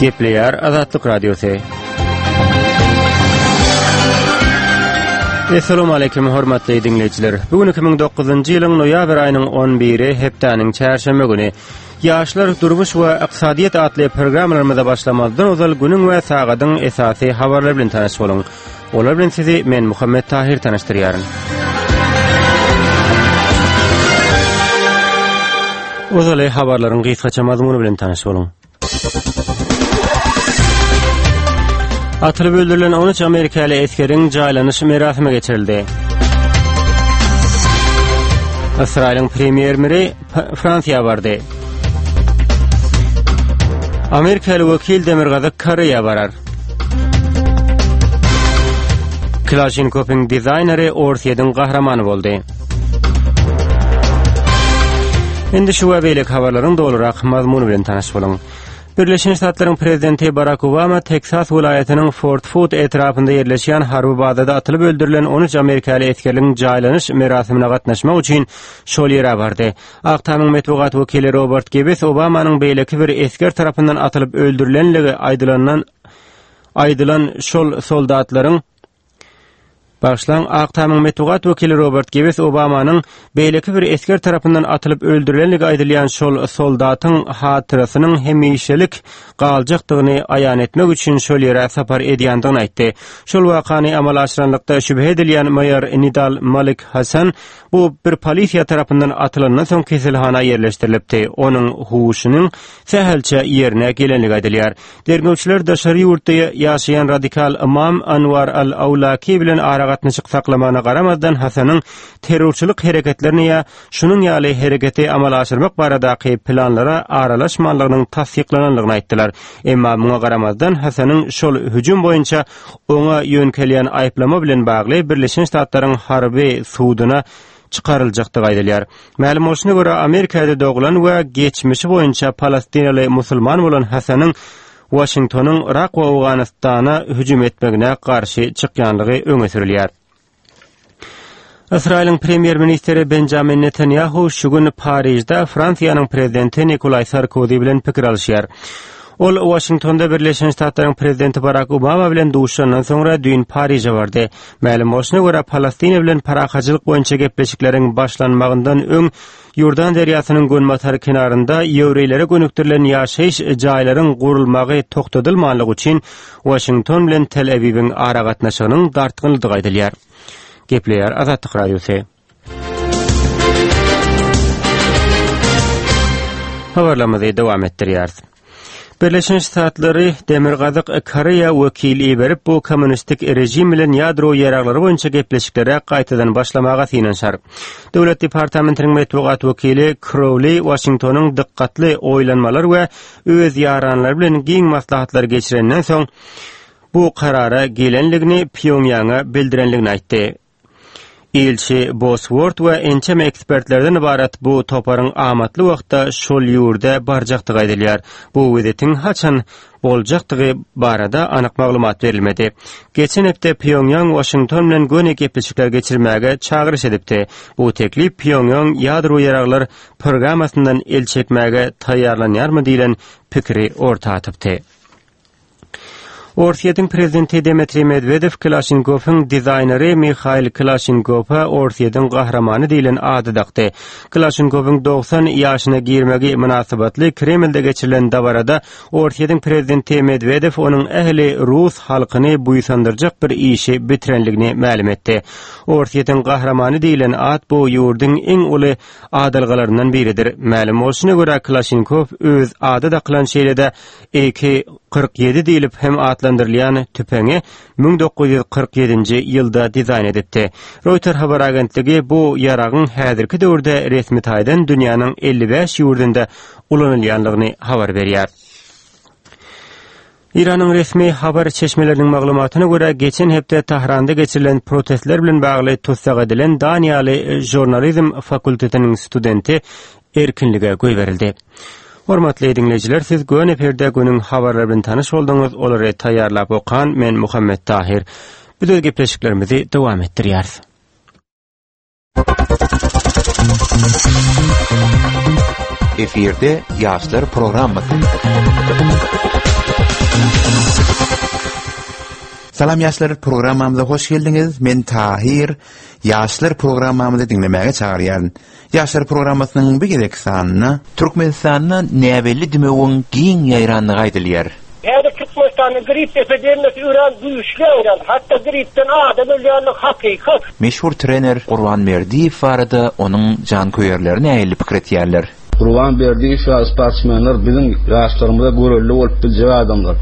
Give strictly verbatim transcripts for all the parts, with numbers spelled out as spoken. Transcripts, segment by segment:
Gepleýär Azatlyk Radiosy. Essalamu aleýkum hormatly diňleýjiler. Bu gün iki müň dokuzynjy ýylyň noýabr aýynyň on biri hepdäniň çärşenbe güni. Ýaşlar, durmuş we ykdysadyýet atly programmalarymyza başlamazdan ozal günüň we sagadyň esasy habarlary bilen tanyş boluň. Olar bilen sizi men Muhammet Tahir tanyşdyrýaryn. Ozaly habarlaryň gysgaça mazmuny bilen tanyş boluň. Atylyp öldürilen on üç amerikaly esgeriň jaýlanyş merasimi geçirildi. Ysraýylyň premýer-miri Fransiýa bardy. Amerikaly wekil Demirgazyk Koreýa barar. Klaşinkowyň dizaýneri Orsýetiň gahrymany boldy. Indi şu we beýleki habarlaryň dolurak mazmuny bilen tanyş boluň. Birleşen Ştatlaryň prezidenti Barak Obama Teksas welaýatynyň Fort Hood etrapynda ýerleşýän harby bazada atylyp öldürilen on üç amerikaly esgerligiň jaýlanyş merasimine gatnaşmak üçin şol ýere bardy. Ak Tamyň metbugat wekili Robert Gibbs Obamanyň beýleki bir esger tarapyndan atylyp öldürilenligi aýdylandan aýdylan şol soldatlaryň Başlan Ak Tamyň metbugat wekili Robert Gibbs Obamanyň beýleki bir esger tarapyndan atylyp öldürilenligi aýdylýan şol soldatyň hatyrasynyň hemişelik galjakdygyny aýan etmek üçin şol ýere sapar edýändigini aýtdy. Şol wakany amala aşyranlykda şübhe edilýän maýor Nidal Malik Hasan bu bir polisiýa tarapyndan atylandan soň keselhana ýerleşdirilipdi. Onuň huşunyň sähelçe ýerine gelenligi aýdylýar. Derňewçiler daşary ýurtda ýaşaýan radikal imam Anwar al-Awlaki bilen aragatnaşyk saklamana garamazdan Hasanyň terrorçylyk hereketlerini ýa şunuň ýaly hereketi amala aşyrmak baradaky planlara aralaşmanlygynyň tassyklananlygyny aýtdylar. Emma muňa garamazdan Hasanyň şol hüjüm boýunça oňa ýönkelýän aýyplama bilen bagly Birleşen Ştatlaryň harby suduna çykaryljakdygy aýdylýar. Mälim bolşuna görä Amerikada doglan we geçmişi boýunça Palestinaly musulman bolan Hasanyň Washingtonyň Irak we Owganystana hüjüm etmegine garşy çykýanlygy öňe sürülýär. Ysraýylyň premýer-ministri Benjamin Netanyahu şu gün Parižde Fransiýanyň prezidenti Nikolay Sarkozy bilen pikir alyşýar. Ol Washingtonda Birleşen Ştatlaryň prezidenti Barack Obama bilen duşandan soňra düýn Pariže bardy. Mälim bolşuna görä Palestina bilen parahatçylyk boýunça gepleşikleriň başlanmagyndan öň Ýordan derýasynyň günbatar kenarynda ýewreýlere gönükdirilen ýaşaýyş jaýlaryň gurulmagy toktadylmanlygy üçin Washington bilen Tel Awiwiň aragatnaşygynyň dartgynlydygy aýdylýar. Gepleýär Azatlyk Radiosy. Habarlarymyzy dowam etdirýäris. Birleşen Ştatlary Demirgazyk Koreýa wekil iberip bu kommunistik rejim bilen ýadro ýaraglary boýunça gepleşiklere gaýtadan başlamaga synanyşar. Döwlet departamentiniň metbugat wekili Crowley Washingtonyň dikkatli oýlanmalar we öz ýaranlary bilen giň maslahatlar geçirenden soň bu karara gelenligini Pýonýanga bildirenligini aýtdy. Ilçi Bosworth we ençeme ekspertlerden ibarat bu toparyň amatly wagtda şol ýurda barjakdygy aýdylýar. Bu wizitiň haçan boljakdygy barada anyk maglumat berilmedi. Geçen hepde Pýonýang Washington bilen göni gepleşikler geçirmäge çagyryş edipdi. Bu teklip Pýonýang ýadro ýaraglar programmasyndan el çekmäge taýýarlanýarmy diýlen pikiri orta atypdy. Orsýetiň prezidenti Dmitri Medvedev Klaşinkowyň dizaýneri Mihail Klaşinkowa Orsýetiň gahrymany diýlen ady dakdy. Klaşinkowyň dogsan ýaşyna girmegi mynasybatly Kremlde geçirilen dabarada Orsýetiň prezidenti Medvedev onuň ähli rus halkyny buýsandyrjak bir işi bitirenligini mälim etdi. Orsýetiň gahrymany diýlen at bu ýurduň iň uly adalgalaryndan biridir. Mälim bolşuna görä Klaşinkow öz ady dakylan şeýle-de A K kyrk ýedi diýlip hem atlandyrylýan tüpeňi müň dokuz ýüz kyrk ýedinji ýylda dizaýn edipdi. Reuters habar agentligi bu ýaragyň häzirki döwürde resmi taýdan dünýäniň elli bäş ýurdunda ulanylýanlygyny habar berýär. Iranyň resmi habar çeşmeleriniň maglumatyna görä geçen hepde Tahranda geçirilen protestler bilen bagly tussag edilen Daniýaly žurnalizm fakultetiniň studenti erkinlige goýberildi. Hormatly dinleýjiler, siz Göni Perde günüň habarlary bilen tanyş bolduňyz. Olary taýýarlap okan men Muhammet Tahir. Biz öz gepleşiklerimizi dowam etdirýäris. Efirde Ýaşlar programmasy. Salam ýaşlar, programmamyza hoş geldiňiz. Men Tahir. Ýaşlar programmamyzy diňlemäge çagyrýaryn. Ýaşlar programmasynyň bu gezek sanyna Türkmenistanda näbelli dümewiň giň ýaýrandygy aýdylýar. Häzir Türkmenistanda grip epidemiýasy örän güýçli ýaýran. Hatda gripden adam ölýänligi hakykat. Meşhur trener Gurban Berdiýew barada onuň janköýerleri nähili pikir etýärler? Gurban Berdiýew ýaly sportsmenler biziň ýaşlarymyza görelde bolup biljek adamlar.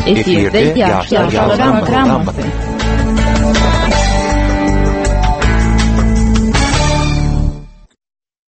Efirde Ýaşlar programmasy.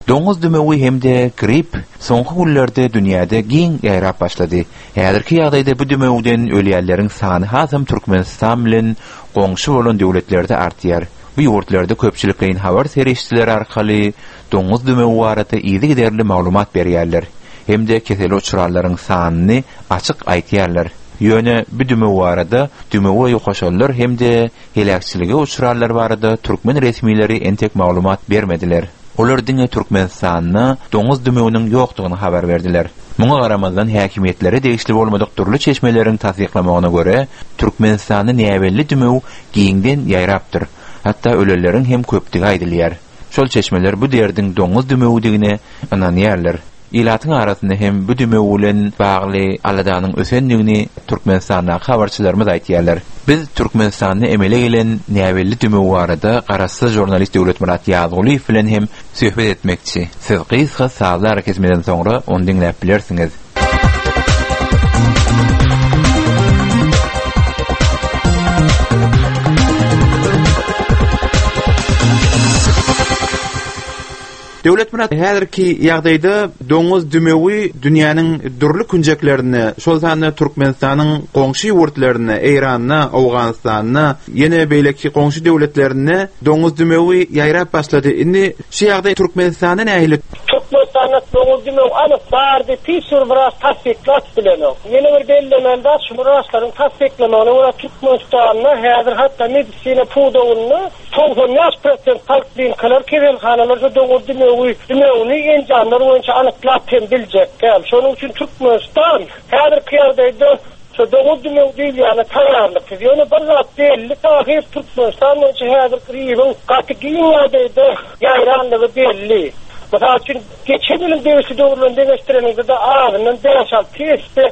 Doňuz dümewi hem-de grip soňky günlerde dünýäde giň ýaýrap başlady. Häzirki ýagdaýda bu dümewden ölýänleriň sany hasam Türkmenistan bilen goňşy bolan döwletlerde artýar. Bu ýurtlarda köpçülikleýin habar serişdeleri arkaly doňuz dümewi barada yzygiderli maglumat berýärler. Hem-de keseli uçranlaryň sanyny açyk aýtýarlar. Ýöne bu dümew barada dümewe ýokaşanlar hem-de heläkçilige uçranlar barada türkmen resmileri entek maglumat bermediler. Olar diňe Türkmenistanda doňuz dümewiniň ýokdugyny habar berdiler. Muňa garamazdan häkimiýetlere degişli bolmadyk dürli çeşmeleriň tassyklamagyna görä, Türkmenistanda näbelli dümew giňden ýaýrapdyr. Hatda ölenleriň hem köpdügi aýdylýar. Şol çeşmeler bu derdiň doňuz dümewidigine ynanýarlar. Ilatyň arasynda hem bu dümew bilen bagly aladanyň ösendigini Türkmenistandaky habarçylarymyz aýtýarlar. Biz Türkmenistanda emele gelen näbelli dümew barada garaşsyz žurnalist Döwletmyrat Ýazgulyýew bilen hem söhbet etmekçi. Siz gysga sazly arakesmeden soňra ony diňläp bilersiňiz. Döwletmyrat, häzirki ýagdaýda doňuz dümewi dünýäniň dürli künjeklerinde, şol sanda Türkmenistanyň goňşy ýurtlarynda, Eýranda, Owganystanda, ýene beýleki goňşy döwletlerinde doňuz dümewi ýaýrap başlady. Indi şu ýagdaý Türkmenistanda nähili? Türkmenistanda doňuz dümewi anyk bardy, hiç bir wraç tassyklap bilenok. Ýene bir bellemeli zat, şu wraçlaryň tassyklamagyna görä Türkmenistanda häzir hatda medisina pudagynda togsan bäş prosent poliklinikalar, keselhanalar doňuz dümewi, dümewini enjamlar boýunça anyklap hem biljek däl. Şonuň üçin Türkmenistan häzirki ýagdaýda şu doňuz dümewi diýilýäne taýýarlyksyz. Ýöne bir zat belli, Tahir Türkmenistan boýunça häzir gribiň gaty giň ýagdaýda ýaýrandygy belli. Mysal üçin, geçen ýylyň degişli döwründen deňeşdirenimizde azyndan bäş alty esse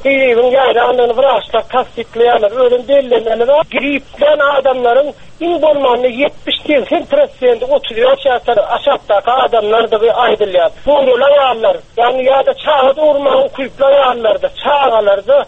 gribiň ýaýrandygyny wraçlar tassyklaýarlar. Özüm bellemeli zat, gripden adamlaryň iň bolmanda ýetmiş segsen prosenti otuz bäş ýaşdan aşakdaky adamlardygy aýdylýar. Dogruly aýallar, ýagny ýa-da çaga dogurmaga ukyply aýallarda, çagalarda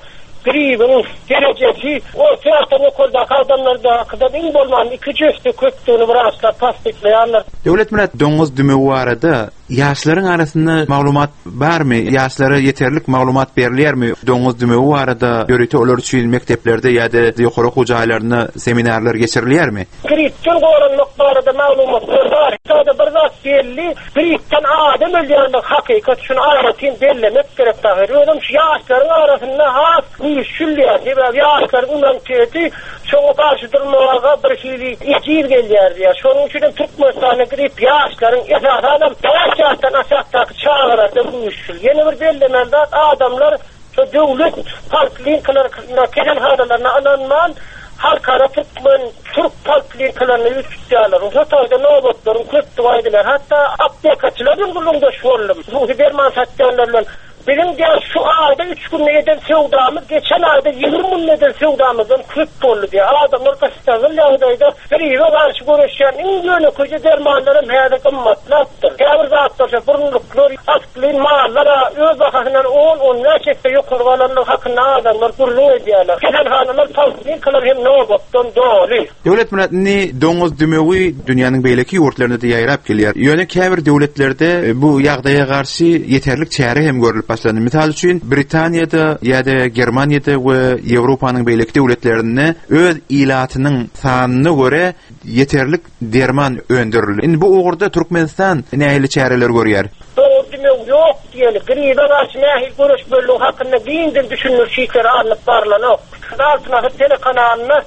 gribiň derejesi orta ýaşdan ýokardaky adamlardakydan iň bolmanda iki esse köpdügini wraçlar tassyklaýarlar. Döwletmyrat, doňuz dümewi barada ýaşlaryň arasynda maglumat barmy? Ýaşlara ýeterlik maglumat berilýärmi? Doňuz dümewi barada ýörite olar üçin mekdeplerde ýa-da ýokary okuw jaýlarynda seminarlar geçirilýärmi? Gripden goranmak barada maglumatlar bar. Sada bir zat belli, gripden adam ölýänligi hakykat, şuny aýratyn bellemek gerek Tahir. Özüm şu ýaşlaryň arasynda has güýçlüýär. Sebäbi ýaşlaryň immuniteti şoňa garşy durmaga bir hili ejir gelýär diýär. Şonuň üçin hem Türkmenistanda grip ýaşlaryň esasanam bäş ýaşdan aşakdaky çagalarda güýçli. Ýene bir bellemeli zat, adamlar şu döwlet poliklinikalarynda, keselhanalaryna ynanman, halkara türkmen, türk poliklinikalaryna ýüz tutýarlar. Şu taýda nobatlaryň köpdügi aýdylýar. Hatda aptekaçylar bilen gürrüňdeş boldum. Hususy derman satýanlar bilen. Biziň diýär, şu aýda üç günde eden söwdamyz geçen aýda ýigrimi günde eden söwdamyzdan köp boldy diýär. Adamlar gyssagly ýagdaýda gribe garşy göreşýän iň ýönekeý dermanlar hem häzir gymmatlapdyr. Käbir zatlar, şu burunluklar, aspilin mallar öz bahasyndan on, on bäş esse ýokary galanlygy hakynda adamlar gürrüň edýärler. Keselhanalar, poliklinikalar hem nobatdan doly. Döwletmyrat, indi doňuz dümewi dünýäniň beýleki ýurtlarynda da ýaýrap gelýär. Ýöne käbir döwletlerde bu ýagdaýa garşy ýeterlik çäre hem görülip başlandy. Mysal üçin, Britaniýada ýa-da Germaniýada we Ýewropanyň beýleki döwletlerinde öz ilatynyň sanyna görä ýeterlik derman öndürildi. Indi bu ugurda Türkmenistan nähili çäreler görýär? Doňuz dümewi ýok diýeli, gribe garşy nähili göreşmeliligi hakynda giňden düşündiriş işleri alnyp barlanok. Altyn Asyr telekanalynda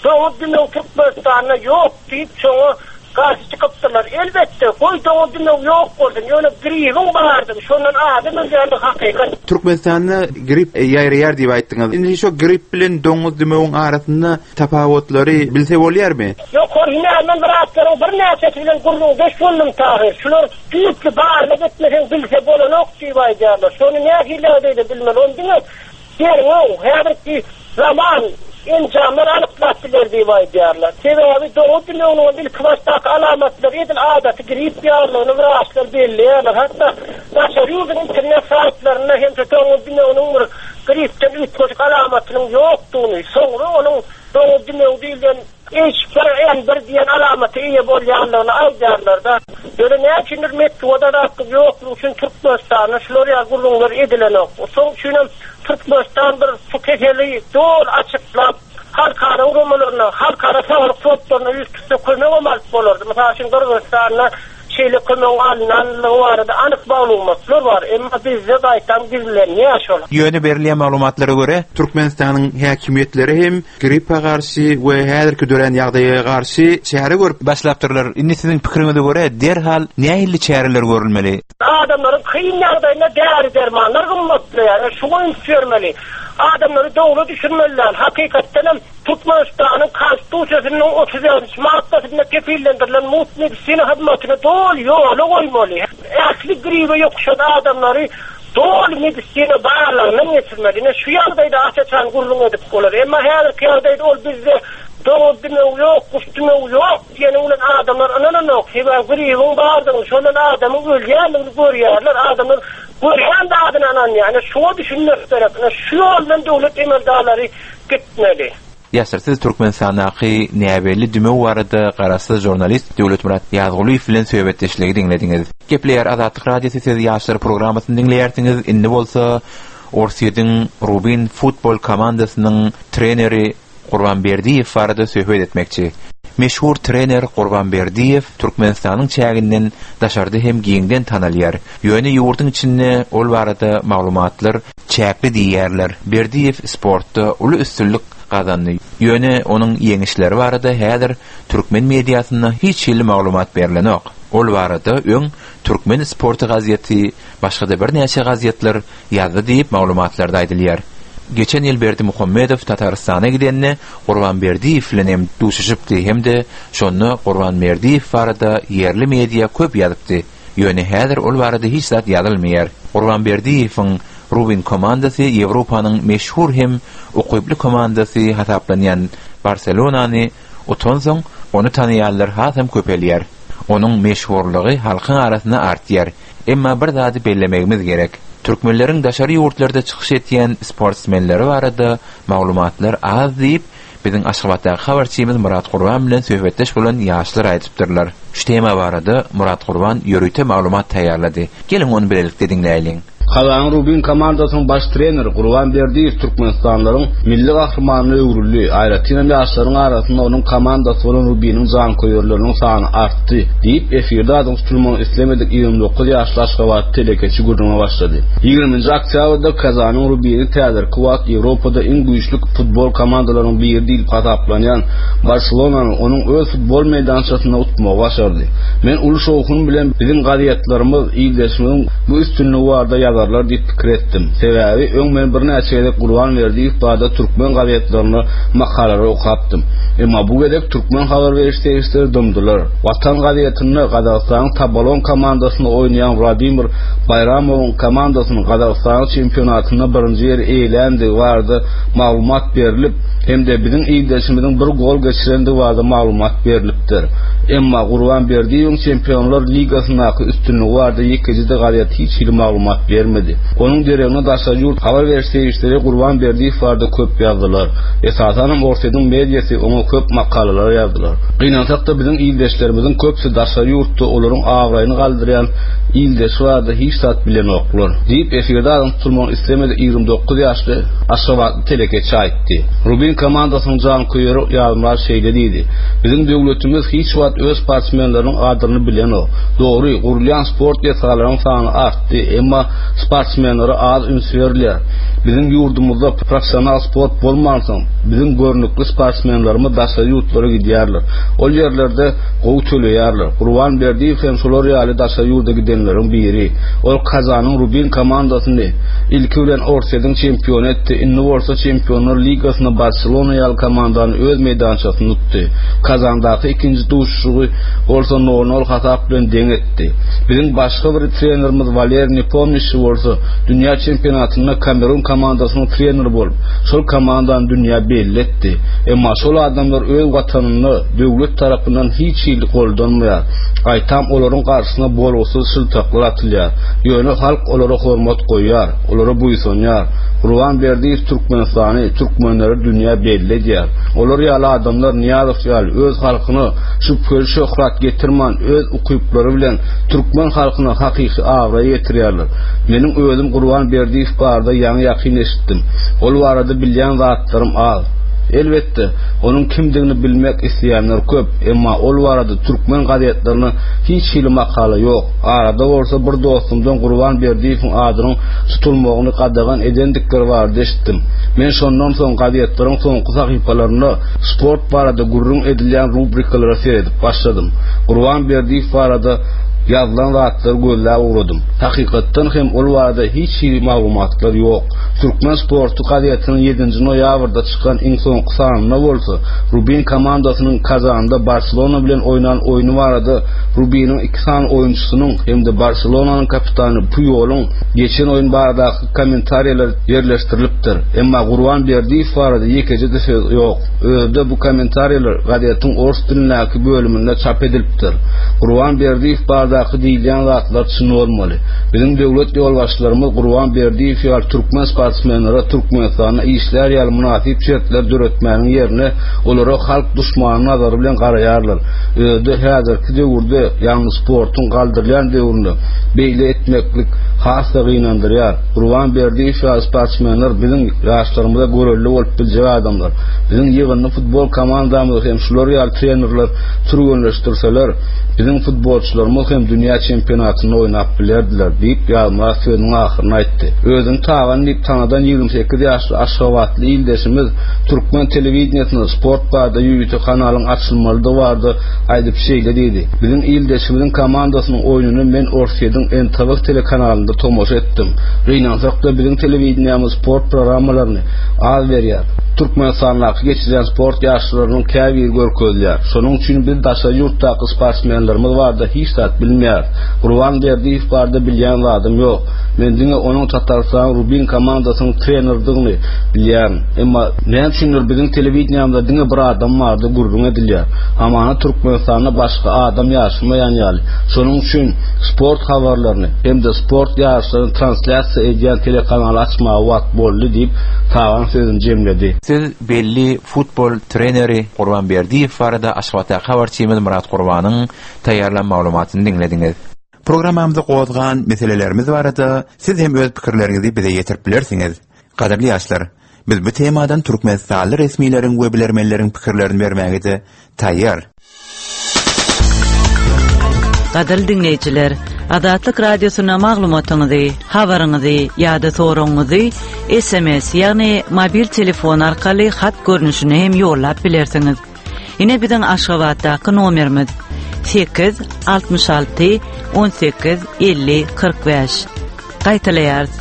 doňuz dümewi Türkmenistanda ýok diýip, şoňa Garşy çykypdyrlar. Elbetde, goý doňuz dümewi ýok bolsun, ýöne gribiň bardygy, şondan adam ölýändigi hakykat. Türkmenistanda grip ýaýraýar diýip aýtdyňyz. Indi şo grip bilen doňuz dümewiň arasynda tapawutlary bilse bolýarmy? Ýokary hünärmen wraçlaryň birnäçesi bilen gürrüňdeş boldum Tahyr. Şular düýpli barlag etmeseň bilse bolanok diýip aýdýarlar. Şony nähili ýagdaýda bilmeli? Ony diňe derňew, häzirki zaman enjamlar anyklap biler diýip aýdýarlar. Sebäbi doňuz dümewiniň ilkibaşdaky alamatlary edil adaty grip ýalydygyny wraçlar belleýärler. Hatda daşary ýurduň internet saýtlarynda hem doňuz dümewiniň bir gripden üýtgeşik alamatynyň ýokdugyny, soňra onuň doňuz dümewi diýlen H bir N bir diýen alamaty eýe bolýandygyny aýdýarlar-da. Ýöne näme üçindir metbugat azatlygy ýoklugy üçin Türkmenistanda şular ýaly gürrüňler edilenok. Şonuň üçin hem Türkmenistan bir şu keseli doly açyklap, halkara guramalaryna, halkara saglyk fondlaryna ýüz tutsa kömegem alyp bolardy. Mysal üçin Gyrgyzystanda şeýle kömegiň alynanlygy barada anyk maglumatlar bar. Emma bizde gaýtam gizlenýär şol. Ýöne berilýän maglumatlara görä, Türkmenistanyň häkimiýetleri hem gripe garşy we häzirki dörän ýagdaýa garşy çäre görüp başlapdyrlar. Indi siziň pikiriňize görä derhal nähili çäreler görülmeli? Adamlaryň kyn ýagdaýynda däri dermanlar gymmatlaýar. Şuňa üns bermeli. Adamlary dogry düşünmeliler. Hakykatdan hem Türkmenistanyň Konstitusiýasynyň otuz ýedinji maddasynda kepillendirilen mugt medisina hyzmatyny doly ýola goýmaly. Ähli gribe ýokuşan adamlary doly medisina barlagyndan geçirmeli. Ine şu ýagdaýda aç-açan gürrüň edip bolar. Emma häzirki ýagdaýda ol bizde doňuz dümewi ýok, guş dümewi ýok diýeni bilen adamlar ynananok. Sebäbi gribiň bardygyny, şondan adamyň ölýändigini görýärler. Adamlar görýän zadyna ynanýar. Ine şuňa düşünmek gerek. Ine şu ýoldan döwlet emeldarlary gitmeli. Ýaşlar, siz Türkmenistandaky näbelli dümew barada garaşsyz žurnalist Döwletmyrat Ýazgulyýew bilen söhbetdeşligi diňlediňiz. Gepleýär Azatlyk Radiosy, siz ýaşlar programmasyny diňleýärsiňiz. Indi bolsa Orsýetiň Rubin futbol komandasynyň treneri Gurban Berdiýew barada söhbet etmekçi. Meşhur trener Gurban Berdiýew Türkmenistanyň çäginden daşarda hem giňden tanalýar. Ýöne ýurduň içinde ol barada maglumatlar çäkli diýýärler. Berdiýew sportda uly üstünlik gazandy. Ýöne onuň ýeňişleri barada häzir türkmen mediasynda hiç hili maglumat berilenok. Ol barada öň Türkmen sporty gazeti, başga-da birnäçe gazetler ýazdy diýip maglumatlarda aýdylýar. Geçen ýyl Berdimuhamedow Tatarystana gidende Gurban Berdiýew bilen hem duşuşypdy, hem-de şonda Gurban Berdiýew barada ýerli media köp ýazypdy. Ýöne häzir ol barada hiç zat ýazylmaýar. Gurban Berdiýewiň Rubin komandasy Ýewropanyň meşhur hem ukyply komandasy hasaplanýan Barselonany utansoň, ony tanaýanlar hasam köpelýär. Onuň meşhurlygy halkyň arasynda artýar. Emma bir zady bellemegimiz gerek. Türkmenleriň daşary ýurtlarda çykyş etýän sportsmenleri barada maglumatlar az diýip, biziň Aşgabatdaky habarçymyz Murat Gurban bilen söhbetdeş bolan ýaşlar aýdypdyrlar. Şu tema barada Murat Gurban ýörite maglumat taýýarlady. Geliň ony bilelikde diňläýeliň. Kazanyň Rubin komandasynyň baş treneri Gurban Berdiýew Türkmenistanlaryň milli gahrymanyna öwrüldi. Aýratyn hem ýaşlaryň arasynda onuň komandasy bolan Rubiniň janköýerleriniň sany artdy diýip, efirde adyň tutulmagyny islemedik ýigrimi dokuz ýaşly Aşgabat telekeçi gürrüňe başlady. Ýigriminji oktýabrda Kazanyň Rubini täzirki wagt Ýewropada iň güýçli futbol komandalarynyň biri diýlip hasaplanýan Barselonany onuň öz futbol meýdançasynda utmagy başardy. Men uly şowhun bilen biziň gazetlerimiz ildeşimiziň bu üstünligi barada ýazarlar diýip pikir etdim. Sebäbi öň men birnäçe gezek Gurban Berdiýew barada türkmen gazetlerinde makalalary okapdym. Emma bu gezek türkmen habar beriş serişdeleri dymdylar. Watan gazetinde Gazagystanyň Tabalon komandasynda oýnaýan Wladimir Baýramowyň komandasynyň Gazagystanyň çempionatynda birinji ýeri eýeländigi barada maglumat berilip, hem-de biziň ildeşimiziň bir gol geçirendigi barada maglumat berilipdir. Emma Gurban Berdiýewiň Çempionlar Ligasyndaky üstünligi barada ýekeje-de gazet hiç hili maglumat bermedi. Onuň deregine daşary ýurt habar beriş serişdeleri Gurban Berdiýew barada köp ýazdylar. Esasanam Orsýetiň mediasy oňa köp makalalar ýazdylar. Gynansak-da biziň ildeşlerimiziň köpüsi daşary ýurtda olaryň abraýyny galdyrýan ildeşi barada hiç zat bilenoklar diýip, efirde adyň tutulmagyny islemedik ýigrimi dokuz ýaşly Aşgabatly telekeçi aýtdy. Rubin komandasynyň janköýeri Ýazmyrat şeýle diýdi: Biziň döwletimiz hiç wagt öz sportsmenleriniň gadyryny bilenok. Dogry, gurulýan sport desgalarynyň sany artdy, emma Sportsmenlere az üns berilýär. Biziň ýurdumyzda professional sport bolmansoň, biziň görnükli sportsmenlerimiz daşary ýurtlara gidýärler. Ol ýerlerde gowy töleýärler. Gurban Berdiýew hem şolar ýaly daşary ýurda gidenleriň biri. Ol Kazanyň Rubin komandasyny ilki bilen Orsýetiň çempiony etdi, indi bolsa Çempionlar ligasynda Barselona ýaly komandany öz meýdançasynda utdy. Kazandaky ikinji duşuşygy bolsa nol-nol hasap bilen deň etdi. Biziň başga bir trenerimiz Waleriý Nepomnişçi bolsa dünýä çempionatynda Kamerun komandasynyň treneri bolup, şol komandany dünýä belli etdi. Emma şol adamlar öz watanynda döwlet tarapyndan hiç hili goldanmaýar. Gaýtam olaryň garşysyna bolgusyz şyltaklar atylýar. Ýöne halk olara hormat goýýar, olara buýsanýar. Gurban Berdiýew Türkmenistany, türkmenleri dünýä belli edýär. Olar ýaly adamlar Nyýazow ýaly öz halkyna şübheli şöhrat getirmän öz ukyplary bilen türkmen halkyna hakyky abraý getirýärler. Meniň özüm Gurban Berdiýew barada ýaňy ýakyn eşitdim. Ol barada bilýän zatlarym az. Elbetde, onuň kimdigini bilmek isleýänler köp, emma ol barada türkmen gazetlerinde hiç hili makala ýok. Arada bolsa bir dostumdan Gurban Berdiýewiň adynyň tutulmagyny gadagan edendikleri barada eşitdim. Men şondan soň gazetleriň soňky sahypalarynda sport barada gürrüň edilýän rubrikalara seredip başladym. Gurban Berdiýew barada ýazylan zatlary gözläp ugradym. Hakykatdan hem ol barada hiç hili maglumatlar ýok. Türkmen sporty gazetiniň ýedinji noýabrda çykan iň soňky sanynda bolsa Rubin komandasynyň Kazanda Barselona bilen oýnan oýny barada Rubiniň iki sany oýunçysynyň hem-de Barselonanyň kapitany Puýolyň geçen oýun baradaky kommentariýalar ýerleşdirilipdir. Emma Gurban Berdiýew barada ýekeje-de söz ýok. Özde bu kommentariýalar gazetiň ors dilindäki bölüminde çap edilipdir. Gurban Berdiýew baradaky diýilýän zatlar çyn bolmaly. Biziň döwlet ýolbaşçylarymyz Gurban Berdiýew ýaly türkmen sportsmenlere Türkmenistanda işlär ýaly mynasyp şertler döretmäniň ýerine olara halk duşmany nazary bilen garaýarlar. Özde häzirki döwürde, ýagny sportuň galdyrylýan döwründe beýle etmeklik has-da gynandyrýar. Gurban Berdiýew ýaly sportsmenler biziň ýaşlarymyza görelde bolup biljek adamlar. Biziň ýygyndy futbol komandamyzy hem şular ýaly trenerler türgenleşdirseler, biziň futbolçylarymyz hem dünýä çempionatynda oýnap bilerdiler diýip Ýazmyrat sözüniň ahyryny aýtdy. Özüni Tagan diýip tanadan ýigrimi sekiz ýaşly Aşgabatly ildeşimiz türkmen telewideniýesinde sport barada ýörite kanalyň açylmalydygy barada aýdyp şeýle diýdi. Biziň ildeşimiziň komandasynyň oýnuny men Orsýetiň N T V telekanalynda tomaşa etdim. Gynansak-da biziň telewideniýemiz sport programmalaryny az berýär. Türkmenistandaky geçirýän sport ýaryşlarynyň käbiri görkezilýär. Şonuň üçin biz daşary ýurtdaky sportsmenlerimiz barada hiç zat bilmeýäris. Gurban Berdiýew barada bilýän zadym ýok. Men diňe onuň Tatarystanyň Rubin komandasynyň treneridigini bilýärin. Emma näme üçindir biziň telewideniýamyzda diňe bir adam barada gürrüň edilýär. Hamana Türkmenistanda başga adam ýaşamaýan ýaly. Şonuň üçin sport habarlaryny hem-de sport ýaryşlaryny translýasiýa edýän telekanaly açmaga wagt boldy diýip Tagan sözüni jemledi. Siz belli futbol treneri Gurban Berdiýew barada Aşgabatdaky habarçymyz Murat Gurbanyň taýýarlan maglumatyny diňlediňiz. Programmamyzda gozgan meselelerimiz barada siz hem öz pikirleriňizi bize ýetirip bilersiňiz. Gadyrly ýaşlar, biz bu temadan Türkmenistanly resmileriň we bilermenleriň pikirlerini bermäge de taýýar. Gadyrly diňleýjiler, Azatlyk Radiosyna maglumatyňyzy, habaryňyzy ýa-da soragyňyzy S M S, ýagny mobil telefon arkaly hat görnüşine hem ýollap bilersiňiz. Ine biziň Aşgabatdaky nomerimiz sekiz altmyş alty on sekiz elli kyrk bäş. Gaýtalaýarys.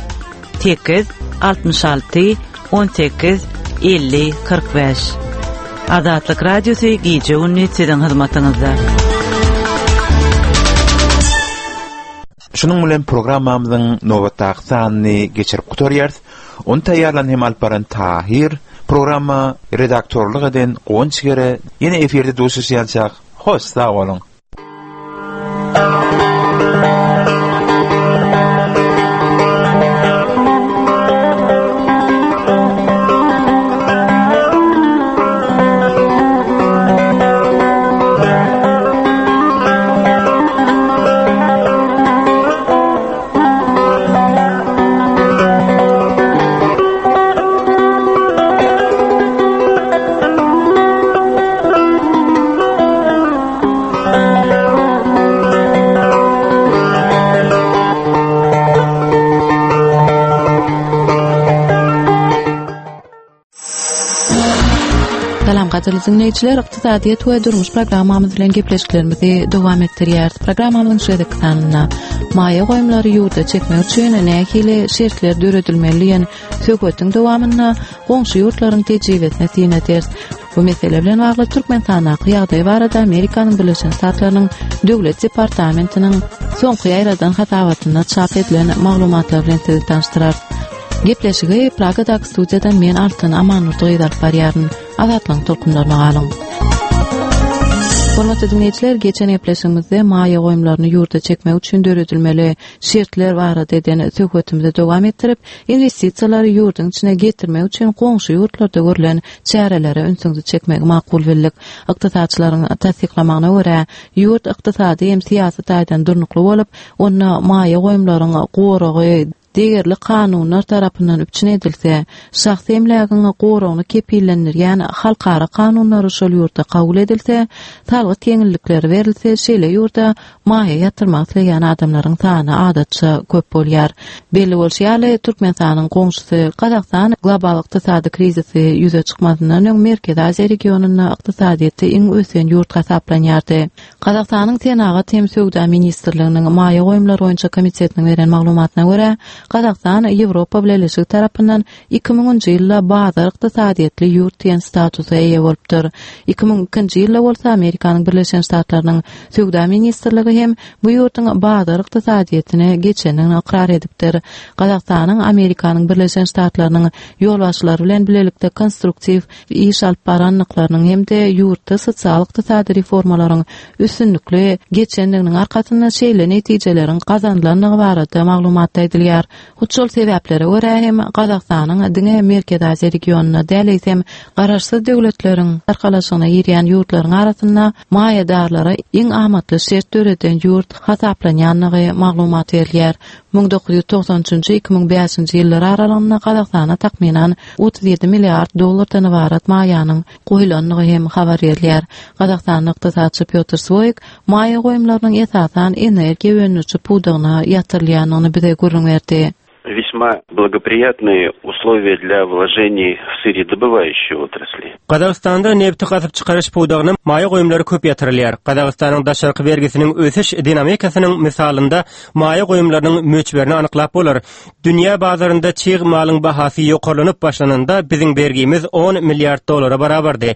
Sekiz altmyş alty on sekiz elli kyrk bäş. Azatlyk Radiosy gije gündüz siziň hyzmatyňyzda. Şunuň bilen programmamyzyň nobatdaky sanyny geçirip gutarýarys. Ony taýýarlan hem alyp baran Tahir, programma redaktorlyk eden Guwanç Gere, ýene efirde duşuşýançak. Hoş sag boluň. Salam gadyrly dinleýjiler, ykdysadyýet we durmuş programmamyz bilen gepleşiklerimizi dowam etdirýäris. Programmamyzyň şu gezekki sanynda maýa goýumlary ýurda çekmek üçin nähili şertler döredilmeli diýen söhbetiň dowamynda goňşy ýurtlaryň tejribesine syn ederis. Bu mesele bilen bagly Türkmenistandaky ýagdaý barada Amerikanyň Birleşen Ştatlarynyň Döwlet departamentiniň soňky ýaýradan hasabatynda çap edilen maglumatlar bilen sizi tanyşdyrarys. Gepleşigi Pragadaky studiýadan men Altyn Amanurdy gyz alyp barýaryn. Azatlygyň tolkunlaryna galyň. Hormatly dinleýjiler, geçen gepleşigimizde maýa goýumlaryny ýurda çekmek üçin döredilmeli şertler barada eden söhbetimizi dowam etdirip, investisiýalary ýurduň içine getirmek üçin goňşy ýurtlarda görlen çärelere ünsüňizi çekmegi makul bildik. Ykdysatçylaryň tassyklamagyna görä, ýurt ykdysady hem syýasy taýdan durnukly bolup, onda maýa goýumlaryň goragy degerli kanunlar tarapyndan üpjün edilse, şahsy emlägiň goragyny kepillendirýän halkara kanunlary şol ýurtda kabul edilse, salgyt ýeňillikleri berilse, şeýle ýurda maýa ýatyrmak isleýän adamlaryň sany adatça köp bolýar. Belli bolşy ýaly, Türkmenistanyň goňşusy Gazagystan global ykdysady krizisi ýüze çykmazyndan öň Merkezi Aziýa regionynda ykdysadyýeti iň ösen ýurt hasaplanýardy. Gazagystanyň Senagat hem söwda ministrliginiň maýa goýumlary boýunça komitetiniň beren maglumatyna görä, Gazagystan Ýewropa Bileleşigi tarapyndan iki müňünji ýylda bazar ykdysadyýetli ýurt diýen statusa eýe bolupdyr. Iki müň ikinji ýylda bolsa Amerikanyň Birleşen Ştatlarynyň Söwda ministrligi hem bu ýurduň bazar ykdysadyýetine geçendigini ykrar edipdir. Gazagystanyň Amerikanyň Birleşen Ştatlarynyň ýolbaşçylary bilen bilelikde konstruktiw iş alyp barandyklarynyň hem-de ýurtda sosial ykdysady reformalaryň üstünlikli geçendiginiň arkasynda şeýle netijeleriň gazanylandygy barada maglumatda aýdylýar. Hut şol sebäplere görä hem Gazagystanyň diňe Merkezi Aziýa regionynda däl, eýsem garaşsyz döwletleriň arkalaşygyna girýän ýurtlaryň arasynda maýadarlara iň amatly şert döreden ýurt hasaplanýandygy maglumat berilýär. Müň dokuz ýüz togsan üçünji iki müň bäşinji ýyllar aralygynda Gazagystana takmynan otuz ýedi milliard dollardan ybarat maýanyň goýulandygy hem habar berilýär. Gazagystanyň ykdysatçy Pýotr Swoýk maýa goýumlarynyň esasan energiýa öndüriji pudagyna ýatyrylýandygyny bize gürrüň berdi. Весьма благоприятные условия для вложений в сырьедобывающие отрасли. Gazagystanda nebti gazyp çykaryş pudagyna maýa goýumlary köp ýatyrylýar. Gazagystanyň daşarky bergisiniň ösüş dinamikasynyň mysalynda maýa goýumlarynyň möçberini anyklap bolar. Dünýä bazarynda çig malyň bahasy ýokarlanyp başlananda biziň bergimiz on milliard dollara barabardy.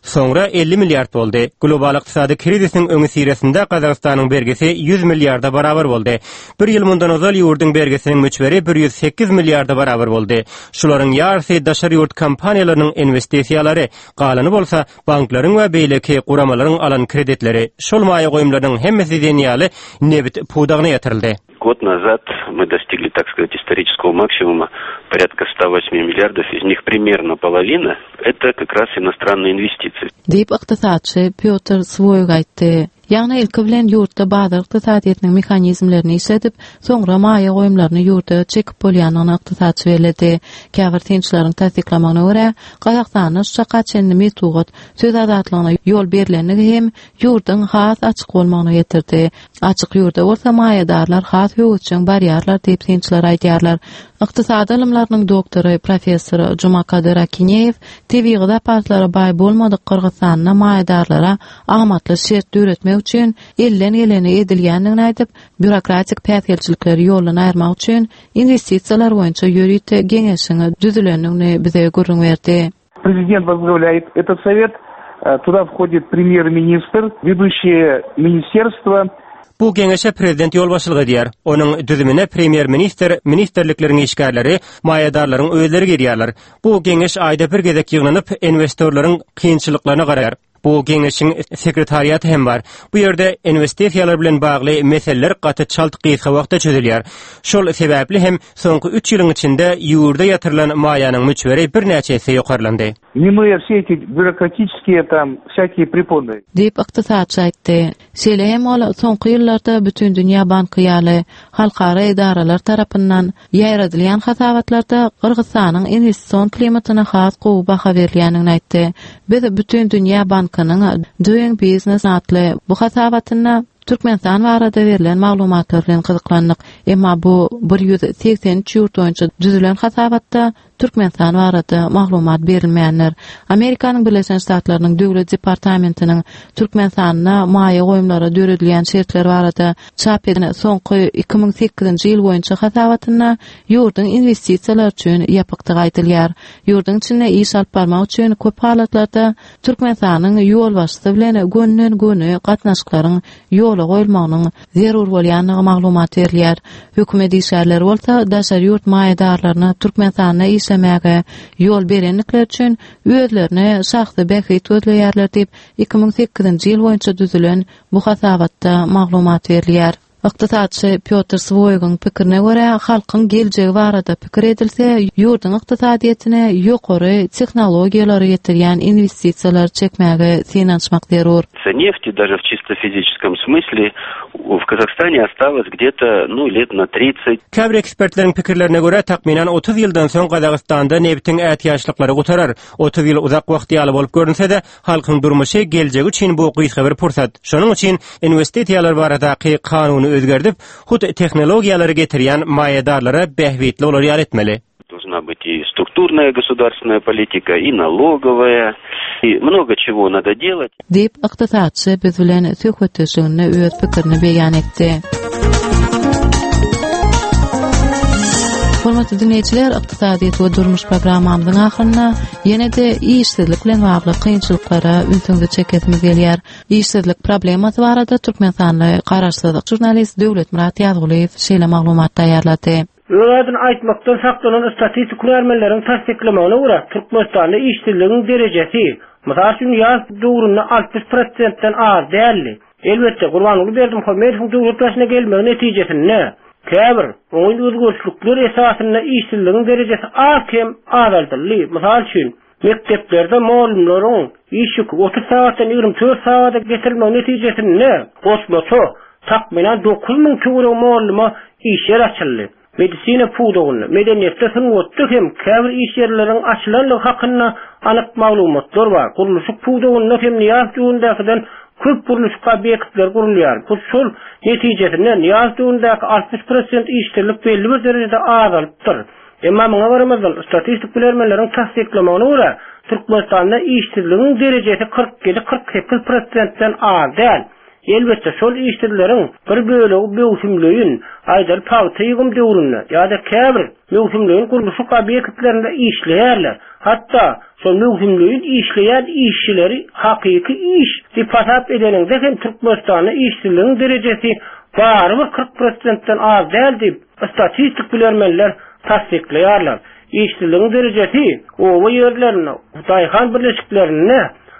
Soňra elli milliard boldy. Global ykdysady krizisiň öňi siresinde Gazagystanyň bergisi ýüz milliarda barabar boldy. Bir ýyl mundan ozal ýurduň bergisiniň möçberi bir ýüz sekiz milliarda barabar boldy. Şularyň ýarysy daşary ýurt kompaniýalarynyň investisiýalary, galany bolsa banklaryň we beýleki guramalaryň alan kreditleri. Şol maýa goýumlarynyň hemmesi diýen ýaly nebit pudagyna ýatyryldy. Год назад мы достигли, так сказать, исторического максимума порядка ста восьми миллиардов, из них примерно половина это как раз иностранные инвестиции. Diýip ykdysatçy Pýotr Swoýk aýtdy. Ýagny ilki bilen ýurtda bazar ykdysadyýetiniň mehanizmlerini işledip, soňra maýa goýumlaryny ýurda çekip bolýandygyny ykdysatçy belledi. Käbir synçylaryň tassyklamagyna görä, Gazagystanda şu çaka çenli metbugat söz azatlygyna ýol berilendigi hem ýurduň has açyk bolmagyna getirdi. Açyk ýurda bolsa maýadarlar has höwesjeň barýarlar diýip synçylar aýdýarlar. Ykdysady ylymlarynyň doktory professor Jumakadyr Akineýew tebigy zapaslara baý bolmadyk Gyrgyzystanda maýadarlara amatly şert döretmek üçin elden geleni edilýändigini aýdyp, býurokratik päsgelçilikleri ýoldan aýyrmak üçin investisiýalar boýunça ýörite geňeşiň düzülendigini bize gürrüň berdi. Президент возглавляет этот совет, туда входит премьер-министр, ведущие министерства. Bu geňeşe prezident ýolbaşçylyk edýär. Onuň düzümine premýer-ministr, ministerlikleriň işgärleri, maýadarlaryň özleri girýärler. Bu geňeş aýda bir gezek ýygnanyp, investorlaryň kynçylyklaryna garaýar. Bu geňeşiň sekretariaty hem bar. Bu ýerde investisiýalar bilen bagly meseleler gaty çalt gysga wagtda çözülýär. Şol sebäpli hem soňky üç ýylyň içinde ýurda ýatyrylan maýanyň möçberi birnäçe esse ýokarlandy. Минуя все эти бюрократические там всякие препоны. Diýip ykdysatçy aýtdy. Şeýle hem ol soňky ýyllarda Bütün Dünýä Banky ýaly halkara edaralar tarapyndan ýaýradylýan hasabatlarda Gyrgyzystanyň investision klimatyna has gowy baha berilýändigini aýtdy. Biz Bütün Dünýä Bankynyň Doing Business atly bu hasabatynda Türkmenistan barada berlen maglumatlar bilen gyzyklandyk. Emma bu bir ýüz seksen üç ýurt boýunça düzülen hasabatda Türkmenistan barada maglumat berilmeýänler. Amerikanyň Birleşen Ştatlarynyň Döwlet departamentiniň Türkmenistanda maýa goýumlara döredilýän şertler barada çap eden soňky iki müň sekizinji ýyl boýunça hasabatynda ýurduň investisiýalar üçin ýapykdygy aýdylýar. Ýurduň içinde iş alyp barmak üçin köp halatlarda Türkmenistanyň ýolbaşçysy bilen gönden-göni gatnaşyklaryň ýola goýulmagynyň zerur bolýandygy maglumat berilýär. Hökümet işgärleri bolsa daşary ýurt maýadarlaryna Türkmenistanda işlemäge ýol berendikleri üçin özlerine şahsy bähbit gözleýärler diýip iki müň sekizinji ýyl boýunça düzülen bu hasabatda maglumat berilýär. Ykdysatçy Piotr Swoýgyň pikirine görä, halkyň geljegi barada pikir edilse, ýurduň ykdysadyýetine ýokary tehnologiýalary getirýän investisiýalary çekmäge synanyşmak zerur. Нефти даже в чисто физическом смысле в Казахстане осталось где-то, ну, лет на тридцать. Käbir ekspertleriň pikirlerine görä, takmynan otuz ýyldan soň Gazagystanda nebitiň ätiýaçlyklary gutarar. Otuz ýyl uzak wagt ýaly bolup görünse-de, halkyň durmuşy geljegi üçin bu gysga bir pursat. Şonuň üçin investisiýalar baradaky kanuny özgerdip, hut tehnologiýalary getirýän maýadarlara bähbitli bolar ýaly etmeli. Должна быть и структурная государственная политика, и налоговая, и много чего надо делать. Diýip, ykdysatçy biz bilen söhbetdeşliginde öz pikirini beýan etdi. Hormatly dinleýjiler, ykdysadyýet we durmuş programmamyzyň ahyrynda ýene-de işsizlik bilen bagly kynçylyklara ünsüňizi çekesimiz gelýär. Işsizlik problemasy barada Türkmenistanly garaşsyz žurnalist Döwletmyrat Ýazgulyýew şeýle maglumat taýýarlady. Öz adyny aýtmakdan saklanan statistik hünärmenleriň tassyklamagyna görä, Türkmenistanda işsizligiň derejesi, mysal üçin, ýaz döwründe altmyş prosentden az däldi. Elbetde, Gurbanguly Berdimuhamedowyň döwlet başyna gelmegi netijesinde käbir oňyn özgerişlikler esasynda işsizligiň derejesi az kem azaldyldy. Mysal üçin, mekdeplerde mugallymlaryň iş ýüki otuz sagatdan ýigrimi dört sagada getirilmegi netijesinde goşmaça takmynan dokuz müň töweregi mugallyma iş ýer açyldy. Medisina pudagynda, medeniýetde, sungatda hem käbir iş ýerleriniň açylandygy hakynda anyk maglumatlar bar. Gurluşyk pudagynda hem Nyýaz döwründäkiden köp gurluşyk obýektleri gurulýar. Bu şol netijesinde Nyýaz döwründäki altmyş prosent işsizlik belli bir derejede azalypdyr. Emma muňa garamazdan statistik bilermenleriň tassyklamagyna görä, Türkmenistanda işsizligiň derejesi kyrk ýedi kyrk sekiz prosentden az däl. Elbetde, şol işsizleriň bir bölegi möwsümleýin, aýdaly pagta ýygym döwründe ýa-da käbir möwsümleýin gurluşyk obýektlerinde işleýärler. Hatda şol möwsümleýin işleýän işçileri hakyky iş diýip hasap edeniňde hem Türkmenistanda işsizligiň derejesi barybir kyrk prosentden az däl diýip statistik bilermenler tassyklaýarlar. Işsizligiň derejesi oba ýerlerinde, daýhan birleşiklerinde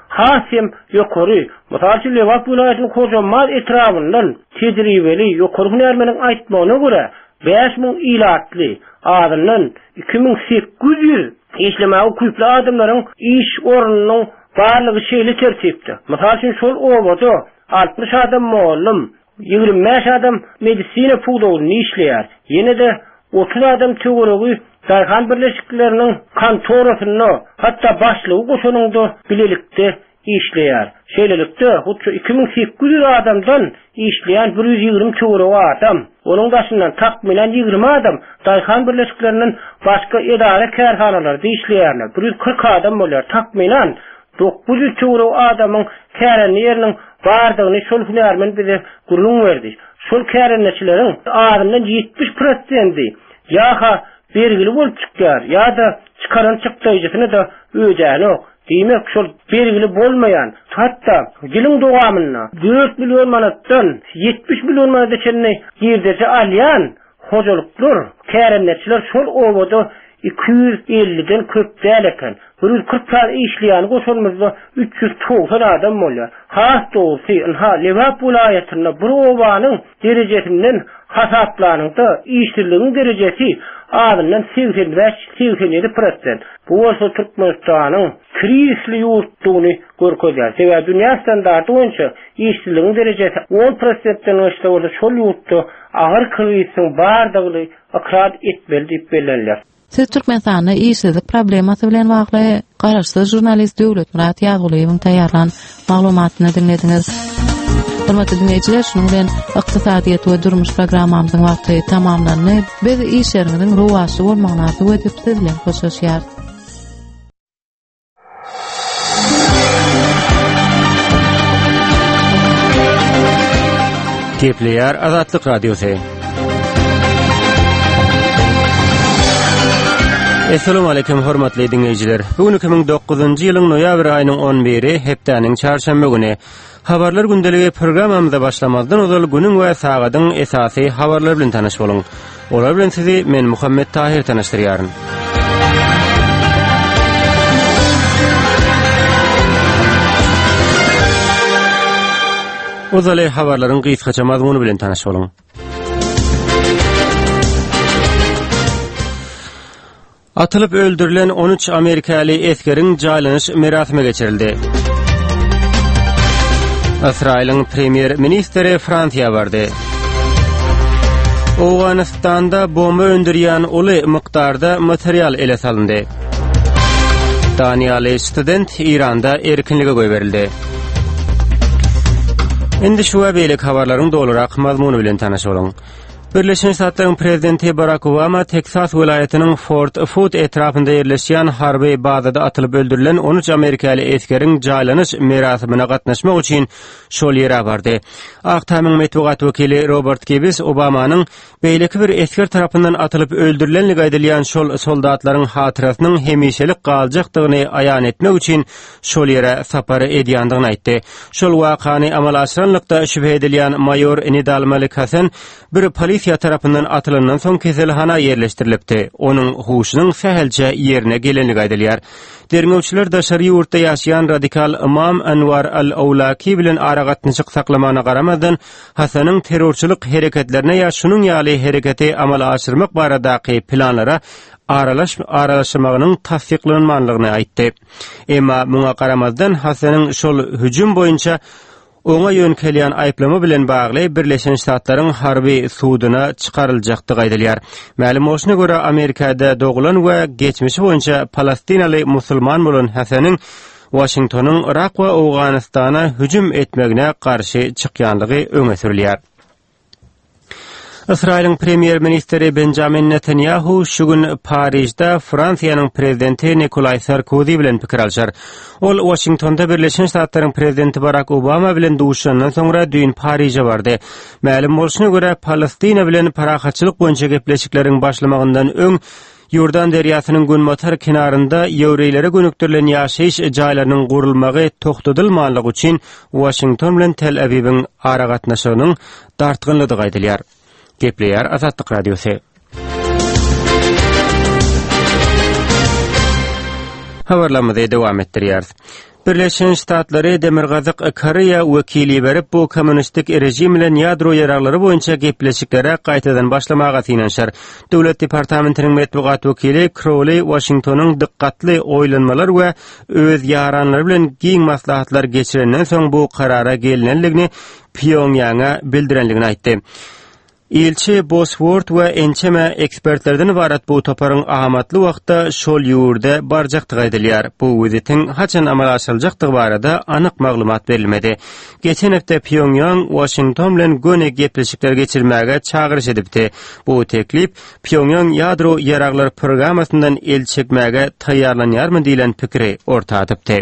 has hem ýokary. Mysal üçin, Lebap welaýatynyň Hojambaz etrabyndan tejribeli ýokary hünärmeniň aýtmagyna görä, bäş müň ilatly, azyndan iki müň sekiz ýüz işlemäge ukyply adamlaryň iş ornunyň barlygy şeýle tertipde. Mysal üçin, şol obada altmyş adam mugallym, ýigrimi bäş adam medisina pudagynda işleýär. Ýene-de otuz adam töweregi daýhan birleşikleriniň kontorasynda, hatda başlygy goşanynda bilelikde işleýär. Şeýlelikde, hut şu iki müň sekiz ýüz adamdan işleýän bir ýüz ýigrimi töweregi adam, onuň daşyndan takmynan ýigrimi adam daýhan birleşiklerinden başga edara kärhanalarda işleýärler. Bir ýüz kyrk adam bolýar. Takmynan dokuz ýüz töweregi adamyň kärende ýeriniň bardygyny şol hünärmen bize gürrüň berdi. Şol kärendeçileriň azyndan ýetmiş prosenti ýa-ha bergili bolup çykýar, ýa-da çykaran çykdaýjysyny da ödänok. Diýmek, şol bergili bolmaýan, hatda ýylyň dowamynda dört million manatdan ýetmiş million manata çenli girdeji alýan hojalyklar, kärendeçiler şol obada iki ýüz elliden köp däl eken. Bir ýüz kyrk sany işleýän goşanymyzda üç ýüz togsan adam bolýar. Has dogrusy, ynha Lebap welaýatynda bir obanyň derejesinden hasaplanyňda işsizligiň derejesi azyndan segsen bäş segsen ýedi prosent. Bu bolsa Türkmenistanyň krizisli ýurtdugyny görkezýär. Sebäbi dünýä standarty boýunça işsizligiň derejesi on prosentden geçse bolsa şol ýurtda agyr krizisiň bardygyny ykrar etmeli diýip bellenilýär. Siz Türkmenistanda işsizlik problemasy bilen bagly garaşsyz žurnalist Döwletmyrat Ýazgulyýewiň taýýarlan maglumatyny dinlediňiz. Hormatly dinleýjiler, şunuň bilen ykdysadyýet we durmuş programmamyzyň wagty tamamlandy. Biz işleriňiziň rowaçly bolmagyny arzuw edip siz bilen hoşlaşýarys. Gepleýär Azatlyk Radiosy. Essalamu aleýkum hormatly dinleýjiler. Bu gün iki müň dokuzynjy ýylyň noýabr aýynyň on biri, hepdäniň çarşenbe güni. Habarlar gündeligi programmamyza başlamazdan ozal günüň we sagadyň esasy habarlary bilen tanyş boluň. Olar bilen sizi men Muhammet Tahir tanyşdyrýaryn. Ozaly habarlaryň gysgaça mazmuny bilen tanyş boluň. Atylyp öldürilen on üç Amerikaly esgeriň jaýlanyş merasimi geçirildi. Ysraýylyň premýer-ministri Fransiýa bardy. Owganystanda bomba öndürýän uly mukdarda material ele salyndy. Daniýaly student Iranda erkinlige goýberildi. Indi şu we beýleki habarlaryň dolurak mazmuny bilen tanyş boluň. Birleşen Ştatlaryň prezidenti Barack Obama Teksas welaýatynyň Fort Hood etrapynda ýerleşýän harby bazada atylyp öldürilen on üç amerikaly esgeriň jaýlanyş merasimine gatnaşmak üçin şol ýere bardy. Ak Tamyň metbugat wekili Robert Gibbs Obamanyň beýleki bir esger tarapyndan atylyp öldürilenligi aýdylýan şol soldatlaryň hatyrasynyň hemişelik galjakdygyny aýan etmek üçin şol ýere sapar edýändigini aýtdy. Şol wakany amala aşyranlykda şübhe edilýän maýor Nidal Malik Hasan bir polisiýa tarapyndan atylandan soň keselhana ýerleşdirilipdi. Onuň huşunyň sähelçe ýerine gelenligi aýdylýar. Derňewçiler daşary ýurtda ýaşaýan radikal Imam Anwar al-Awlaki bilen aragatnaşyk saklamana garamazdan Hasanyň terrorçylyk hereketlerine ýa şunuň ýaly hereketi amala aşyrmak baradaky planlara aralaş, aralaşmagynyň tassyklanmanlygyny aýtdy. Emma muňa garamazdan Hasanyň şol hüjüm boýunça oňa ýönkelýän aýyplama bilen bagly Birleşen Ştatlaryň harby suduna çykaryljakdygy aýdylýar. Mälim bolşuna görä Amerikada doglan we geçmişi boýunça Palestinaly musulman bolan Hasanyň Washingtonyň Irak we Owganystana hüjüm etmegine garşy çykýanlygy öňe sürülýär. Ysraýylyň premýer-ministri Benjamin Netanyahu şu gün Parijde Fransiýanyň prezidenti Nikolay Sarkozy bilen pikir alşar. Ol Washingtonda Birleşen Ştatlaryň prezidenti Barack Obama bilen duşandan soňra düýn Parije bardy. Mälim bolşuna görä Palestina bilen parahatçylyk boýunça gepleşikleriň başlamagyndan öň Ýordan derýasynyň günbatar kenarynda ýewreýlere gönükdirilen ýaşaýyş jaýlarynyň gurulmagy togtadylmanlygy üçin Washington bilen Tel Awiwiň aragatnaşygynyň dartgynlydygy aýdylýar. Gepleýär Azatlyk Radiosy. Habarlarymyzy dowam etdirýäris. Birleşen Ştatlary Demirgazyk Koreýa wekili berip bu kommunistik rejim bilen ýadro ýaraglary boýunça gepleşiklere gaýtadan başlamaga synanyşar. Döwlet departamentiniň metbugat wekili Crowley Washingtonyň dikkatli oýlanmalar we öz ýaranlary bilen giň maslahatlar geçirenden soň bu karara gelinenligini Pýonýanga bildirenligini aýtdy. Ilçi Bosworth we ençeme ekspertlerden ibarat bu toparyň amatly wagtda şol ýurda barjakdygy aýdylýar. Bu wizitiň haçan amala aşyryljakdygy barada anyk maglumat berilmedi. Geçen hepde Pýonýang Washington bilen göni gepleşikler geçirmäge çagyryş edipdi. Bu teklip Pýonýang ýadro ýaraglar programmasyndan el çekmäge taýýarlanýarmy diýlen pikiri orta atypdy.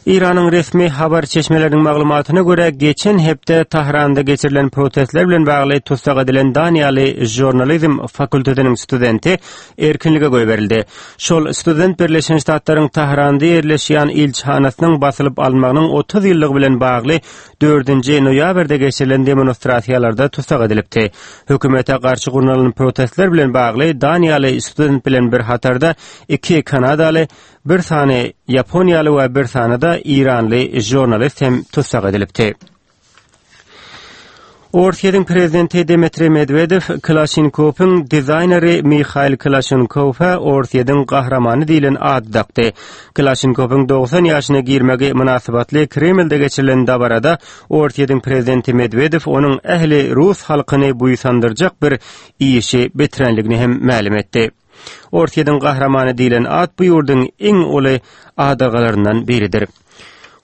İran'ın resmi habar çeşmelerinin maglumatyna göre geçen hepde Tahranda geçirilen protestler bilen bagly tussag edilen Daniýaly jurnalizm fakultetiniň studenti erkinlige goýberildi. Şol student Birleşen Ştatlaryň Tahranda ýerleşýän ilçihanasynyň basylyp alynmagynyň otuz ýyllygy bilen bagly dördünji noýabrda geçirilen demonstrasiýalarda tussag edilipdi. Hökümete garşy gurnalan protestler bilen bagly Daniýaly student bilen bir hatarda iki Kanadaly, bir sany Ýaponiýaly we bir sany da İranly jurnalist hem tussag edilipdi. Orsýetiň prezidenti Dmitri Medvedev Kalaşnikow'un dizaýneri Mihail Kalaşnikow'a Orsýetiň gahrymany diýlen ady dakdy. Kalaşnikow'un doksan ýaşyna girmegi mynasybatly Kremlde geçirilen dabarada Orsýetiň prezidenti Medvedev onuň ähli rus halkyny buýsandyrjak bir işi bitirenligini hem mälim etdi. Orsýetiň gahrymany diýlen at bu ýurduň iň uly adagalaryndan biridir.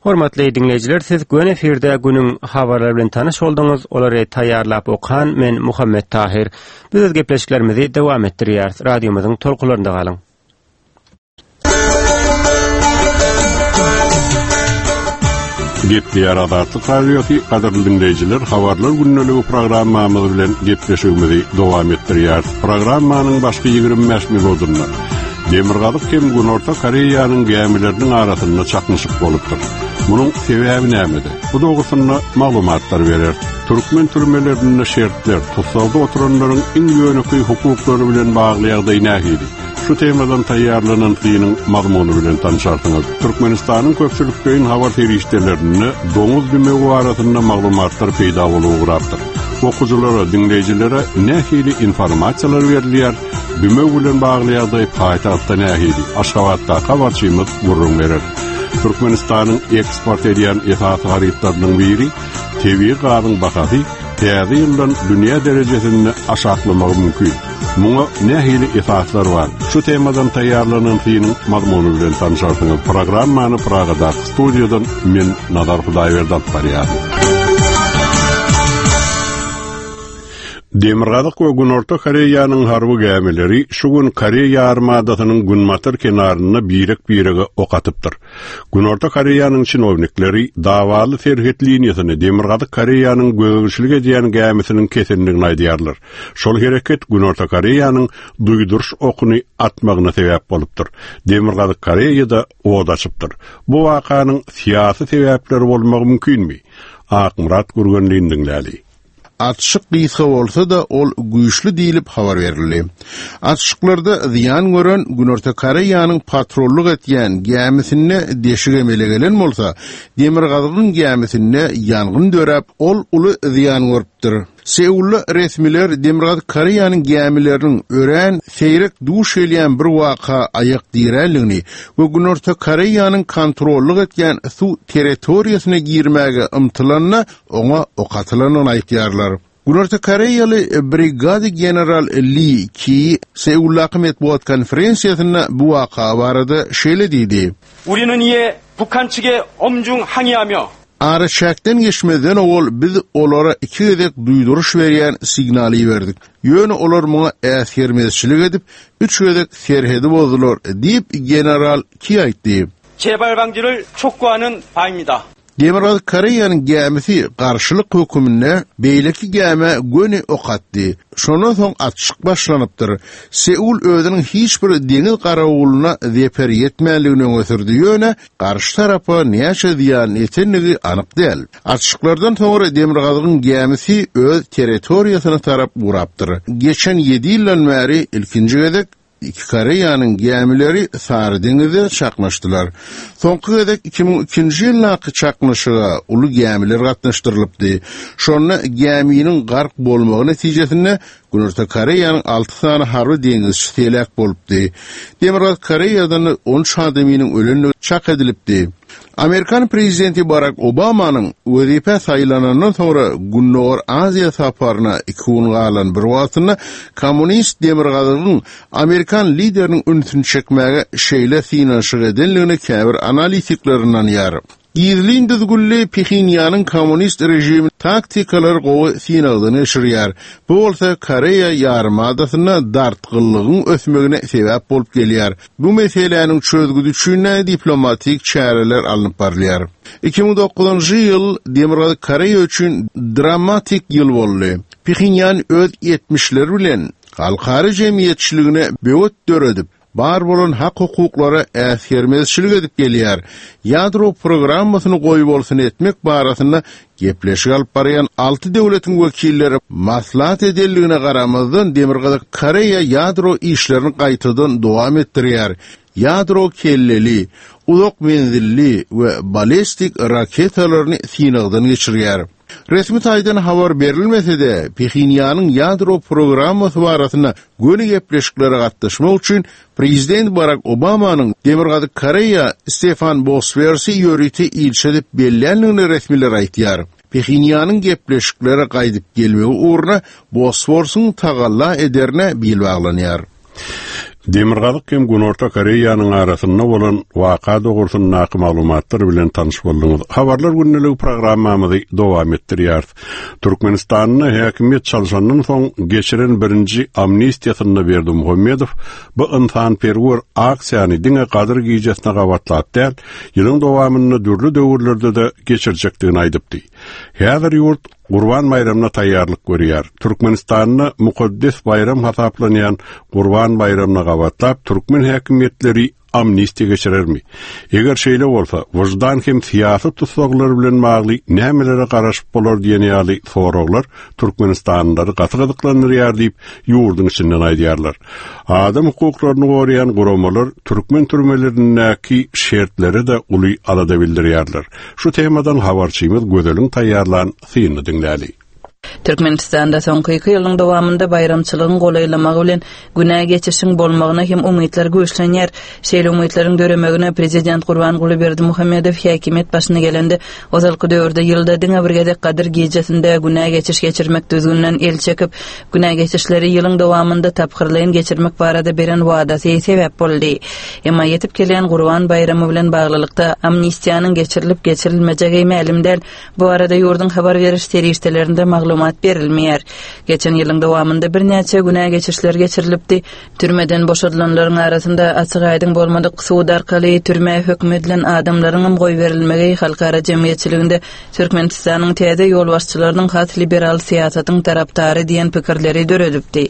Hormatly dinleýjiler, siz gün efirde günüň habarlary bilen tanyş bolduňyz. Olary taýýarlap okan men Muhammet Tahir. Biz öz gepleşiklerimizi dowam etdirýäris. Radiomyzyň tolkunlarynda galyň. Gepleýär Azatlyk Radiosy, gadyrly dinleýjiler, habarlar gündeligi programmamyz bilen gepleşigimizi dowam etdirýäris. Programmanyň başky ýigrimi bäş minutynda Demirgazyk hem Günorta Koreýanyň gämileriniň arasynda çaknyşyk bolupdyr. Munuň sebäbi nämede? Bu dogrusynda maglumatlar berer. Türkmen türmelerinde şertler, tussagda oturanlaryň iň ýönekeý hukuklary bilen bagly ýagdaý nähili? Şu temadan taýýarlanan synyň mazmuny bilen tanışarsyňyz. Türkmenistanyň köpçülikleýin habar serişdelerinde doňuz dümewi arasynda maglumatlar peýda bolup ugrapdyr. Okuwçylara, dinleýjilere nähili informasiýalar berilýär? Dümew bilen bagly ýagdaý paýtagtda nähili? Aşgabatda habarçymyz gürrüň berer. Türkmenistanyň eksport edýän esasy harytlarynyň biri tebigy gazyň bahasy täze ýyldan dünýä derejesinde aşaklamagy mümkin. Muňa nähili esaslar bar? Şu temadan taýýarlanan synyň mazmuny bilen tanışarsyňyz. Programmany Pragadaky studiýadan men Nazar Hudaýberdi alyp barýaryn. Demirgazyk we Günorta Koreýanyň harby gämileri şu gün Koreýa armadasynyň günbatar kenarynda birek-birege ok atypdyr. Günorta Koreýanyň çinownikleri davaly serhet liniýasyny Demirgazyk Koreýanyň gözegçilik edýän gämisiniň kesendigini aýdýarlar. Şol hereket Günorta Koreýanyň duýduryş okuny atmagyna sebäp bolupdyr. Demirgazyk Koreýada od açypdyr. Bu wakanyň syýasy sebäpleri bolmagy mümkinmi? Akmyrat Gürgenlini diňläli. Atşyk gysga bolsa da ol güýçli diýilip habar berildi. Atşyklarda zyýan gören Günorta Koreýanyň patrollyk etýän gämisinde deşik emele gelen bolsa, Demirgazygyň gämisinde ýangyn döräp, ol uly zyýan görüpdir. Seulda resmiler Demirgazyk Koreýanyň gämileriniň örän seýrek duş gelýän bir waka aýak diränligini we Günorta Koreýanyň kontrollyk etýän suw territoriýasyna girmäge ymtylanyna oňa ok atylandygyny aýtýarlar. Günorta Koreýaly brigada general Lee Ki Seuldaky metbugat konferensiýasynda bu waka barada şeýle diýdi. 우리는 이에 북한 측에 엄중 항의하며 Araçäkden geçmezden owal biz olara iki gezek duýduryş berýän signaly berdik. Ýöne olar muňa äsgermezçilik edip, üç gezek serhedi bozdular diýip general Ki aýtdy. 재발 방지를 촉구하는 바입니다. Demirgazyk Koreýanyň gämisi garşylyk hökümine beýleki gämä göni ok atdy. Şondan soň atşyk başlanypdyr. Seul özüniň hiç bir deňiz garawulyna zeper ýetmänligini öňe sürdi. Ýöne garşy tarapa näçe zyýan ýetenligi anyk däl. Atşyklardan soňra Demirgazygyň gämisi öz territoriýasyna tarap urapdyr. Geçen ýedi ýyldan bäri ilkinji gezek iki Koreýanyň gämileri Sary deňizde çaknyşdylar. Soňky gezek iki müň ikinji ýyldaky çaknyşyga uly gämiler gatnaşdyrylypdy. Şonda gäminiň gark bolmagy netijesinde Günorta Koreýanyň alty sany harby deňizçisi heläk bolupdy. Demirgazyk Koreýadan on üç adamynyň ölendigi çak edilipdi. Amerikan prezidenti Barack Obamanyň wezipe saýlanandan soňra Gündogar Aziýa saparyna iki gün galan bir wagtynda kommunist Demirgazygyň Amerikan lideriniň ünsüni çekmäge şeýle synanyşyk edenligini käbir analitikler ynanýar. Gizlin düzgünli Phenýanyň kommunist rejimi taktikalar gowy synagdan geçirýär. Bu bolsa Koreýa ýarymadasynda dartgynlygyň ösmegine sebäp bolup gelýär. Bu meseläniň çözgüdi üçin diplomatik çäreler alnyp barylýar. iki müň dokuzynjy ýyl Demirgazyk Koreýa üçin dramatik ýyl boldy. Phenýan öz ýetmişleri bilen halkara jemgyýetçiligine böwet döredip, bar bolan hak hukuklara äsgermezçilik edip gelýär. Ýadro programmasyny goýbolsun etmek barasynda gepleşik alyp barýan alty döwletiň wekilleri maslahat edenligine garamazdan Demirgazyk Koreýa ýadro işlerini gaýtadan dowam etdirýär. Ýadro kelleli, uzak menzilli we ballistik raketalaryny synagdan geçirýär. Resmi taýdan habar berilmese-de, Phenýanyň ýadro programmasy barasynda göni gepleşiklere gatnaşmak üçin Prezident Barack Obamanyň Demirgazyk Koreýa Stefan Boswersi ýörite ilçi edip bellänligini resmiler aýtýar. Phenýanyň gepleşiklere gaýdyp gelmegi ugruna Bosworsyň tagalla ederine bil baglanýar. Demirgazyk hem Günorta Koreýanyň arasynda bolan waka dogrusyndaky maglumatlar bilen tanyş bolduňyz. Habarlar gündeligi programmamyzy dowam etdirýäris. Türkmenistanda häkimiýet çalşandan soň geçiren birinji amnistiýasynda Berdimuhamedow bu ynsanperwer aksiýany diňe Gadyr gijesine gabatlap däl, ýylyň dowamynda dürli döwürlerde-de geçirjekdigini aýdypdy. Häzir ýurt Gurban baýramyna taýýarlyk görýär. Türkmenistanda mukaddes baýram hasaplanýan Gurban baýramyna gabatlap türkmen häkimiýetleri amnistiýa geçirermi? Eger şeýle bolsa, wyždan hem syýasy tussaglar bilen bagly nämelere garaşyp bolar diýen ýaly soraglar Türkmenistanlylary gaty gyzyklandyrýar diýip, ýurduň içinden aýdýarlar. Adam hukuklaryny goraýan guramalar türkmen türmelerindäki şertlere-de uly alada bildirýärler. Şu temadan habarçymyz Gözeliň taýýarlan synyny diňläli. Türkmenistanda soňky iki ýylyň dowamynda baýramçylygyň golaýlamagy bilen günä geçişiň bolmagyna hem umytlar güýçlenýär. Şeýle umytlaryň döremegine prezident Gurbanguly Berdimuhamedow häkimiýet başyna gelende ozalky döwürde ýylda diňe bir gezek Gadyr gijesinde günä geçiş geçirmek düzgüninden el çekip, günä geçişleri ýylyň dowamynda tapgyrlaýyn geçirmek barada beren wadasy sebäp boldy. Emma ýetip gelýän Gurban baýramy bilen baglylykda amnistiýanyň geçirilip geçirilmejegi mälim däl. Bu arada ýurduň habar beriş serişdelerinde maglumat berilmeýär. Geçen ýylyň dowamynda birnäçe günä geçişler geçirilipdi. Türmeden boşadylanlaryň arasynda açyk aýdyň bolmadyk sud arkaly türmä höküm edilen adamlaryň hem goýberilmegi halkara jemgyýetçiliginde Türkmenistanyň täze ýolbaşçylarynyň has liberal syýasatyň tarapdary diýen pikirleri döredipdi.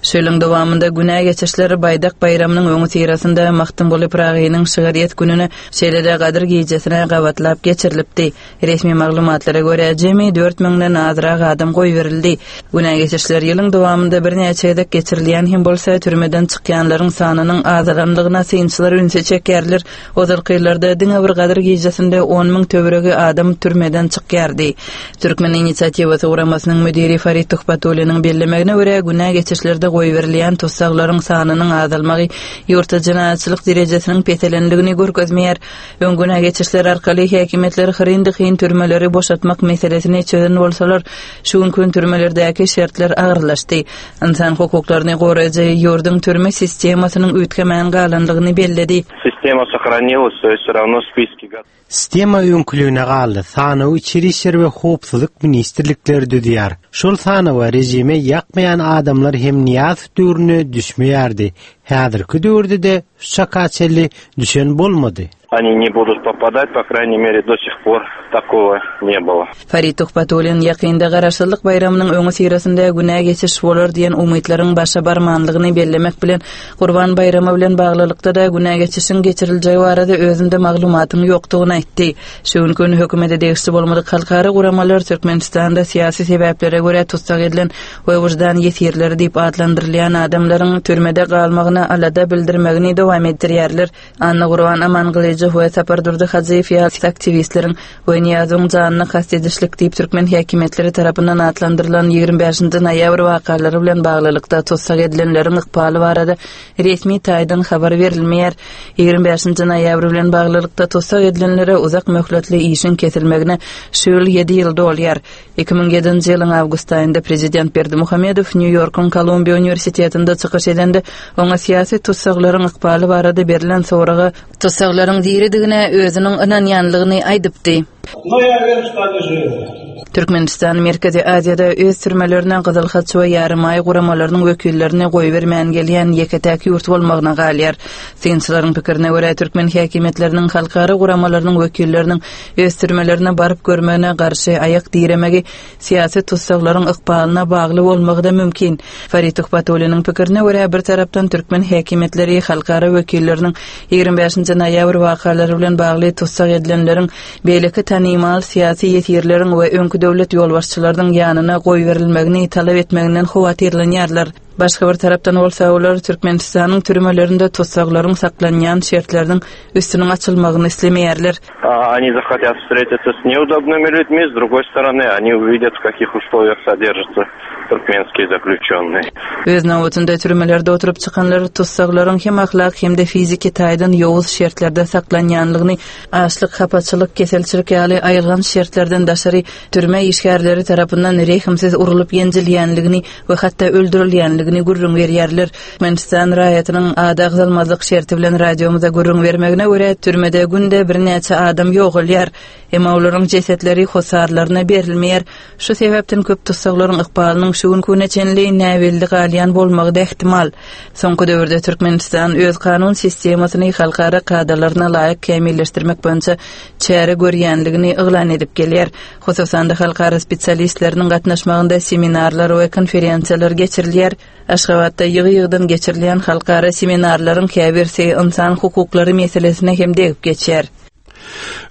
Şu ýylyň dowamynda günä geçişleri Baýdak baýramynyň öňüsyrasynda Magtymguly Pyragynyň şygryýet gününe, şeýle-de Gadyr gijesine gabatlap geçirilipdi. Resmi maglumatlara görä jemi dört müňden azrak adam goýberildi. Günä geçişler ýylyň dowamynda birnäçe gezek geçirilýän hem bolsa türmeden çykýanlaryň sanynyň azalanlygyna synçylar ünsi çekýärler. Ozalky ýyllarda diňe bir Gadyr gijesinde on müň töweregi adam türmeden çykýardy. Türkmen inisiatiwasy guramasynyň müdiri Farid Tuhbatulliniň bellemegine görä günä geçişlerde goýberilýän tussaglaryň sanynyň azalmagy ýurtda jenaýatçylyk derejesiniň peselenligini görkezmeýär. Öň günä geçişler arkaly häkimiýetler hyryn-dyhyn türmeleri boşatmak meselesini çözen bolsalar, şu günkü türmelerdäki şertler agyrlaşdy. Insan hukuklaryny goraýjy ýurduň türme sistemasynyň üýtgemän galanlygyny belledi. Sistema сохранилась, то есть все равно списки готовы. Sistema öňküligine galdy. Sanawy içeri işler we howpsuzlyk ministrlikleri düzýär. Şol sanawa rejime ýakmaýan adamlar hem Nyýazow döwrüne düşmeýärdi. Häzirki döwürde-de şu çaka çenli düşen bolmady. Они не будут попадать, по крайней мере, до сих пор такого не было. Farid Tuhbatullin ýakynda garaşsyzlyk baýramynyň öňüsyrasynda günä geçiş bolar diýen umytlaryň başa barmanlygyny bellemek bilen Gurban baýramy bilen baglylykda-da günä geçişiň geçiriljegi barada özünde maglumatyň ýokdugyny aýtdy. Şu gün hökümete degişli bolmadyk halkara guramalar Türkmenistanda syýasy sebäplere görä tussag edilen we wyždan ýesirleri diýip atlandyrylýan adamlaryň türmede galmagyna alada bildirmegini dowam etdirýärler. Anna Gurban Amangylyjow we Sapardurdy Hajyýew ýaly aktiwistleriň we Nyýazowyň janyna kast edişlik diýip türkmen häkimiýetleri tarapyndan atlandyrylan ýigrimi bäşinji noýabr wakalary bilen baglylykda tussag edilenleriň ykbaly barada resmi taýdan habar berilmeýär. Ýigrimi bäşinji noýabr bilen baglylykda tussag edilenlere uzak möhletli işiň kesilmegine şu ýyl ýedi ýyl dolýar. Iki müň ýedinji ýylyň awgust aýynda prezident Berdimuhamedow Nýu-Ýorkuň Kolumbiýa uniwersitetinde çykyş edende oňa syýasy tussaglaryň ykbaly barada berlen soraga tussaglaryň diridigine özüniň ynanýanlygyny aýdypdy. Но я уверен, что они живы. Türkmenistan Merkezi Aziýada öz türmelerine Gyzyl Haç we Ýarymaý guramalarynyň wekillerini goýbermän gelýän ýeke-täk ýurt bolmagyna galýar. Synçylaryň pikirine görä türkmen häkimiýetleriniň halkara guramalarynyň wekilleriniň öz türmelerine baryp görmegine garşy aýak diremegi syýasy tussaglaryň ykbalyna bagly bolmagy da mümkin. Farid Tuhbatulliniň pikirine görä bir tarapdan türkmen häkimiýetleri halkara wekilleriniň ýigrimi bäşinji noýabr wakalary bilen bagly tussag edilenleriň beýleki tanymal syýasy ýesirleriň we öňki döwlet ýolbaşçylarynyň ýanyna goýberilmegini talap etmeginden howatyrlanýarlar. Başga bir tarapdan bolsa olar Türkmenistanyň türmelerinde tussaglaryň saklanýan şertleriniň üstüniň açylmagyny islemeýärler. А, они захотят встретиться с неудобными людьми, с другой стороны, они увидят, в каких условиях содержатся туркменские заключенные. Öz nobatynda türmelerde oturyp çykanlar tussaglaryň hem ahlak hem-de fiziki taýdan ýowuz şertlerde saklanýanlygyny, açlyk, hapaçylyk, keselçilik ýaly aýylgan şertlerden daşary türme işgärleri tarapyndan rehimsiz urulyp ýenjilýänligini we hatda öldürilýänligini edilýänligini gürrüň berýärler. Türkmenistan raýatynyň ady agzalmazlyk şerti bilen radiomyza gürrüň bermegine görä türmede günde birnäçe adam ýogalýar. Emma olaryň jesetleri hossarlaryna berilmeýär. Şu sebäpden köp tussaglaryň ykbalynyň şu günküne çenli näbelli galýan bolmagy da ehtimal. Soňky döwürde Türkmenistan öz kanun sistemasyny halkara kadalaryna laýyk kämilleşdirmek boýunça çäre görýänligini yglan edip gelýär. Hususan-da halkara spesialistleriniň gatnaşmagynda seminarlar we konferensiýalar geçirilýär. Aşgabatda ýygy-ýygydan geçirilýän halkara seminarlaryň käbirsi insan hukuklary meselesine hem degip geçýär.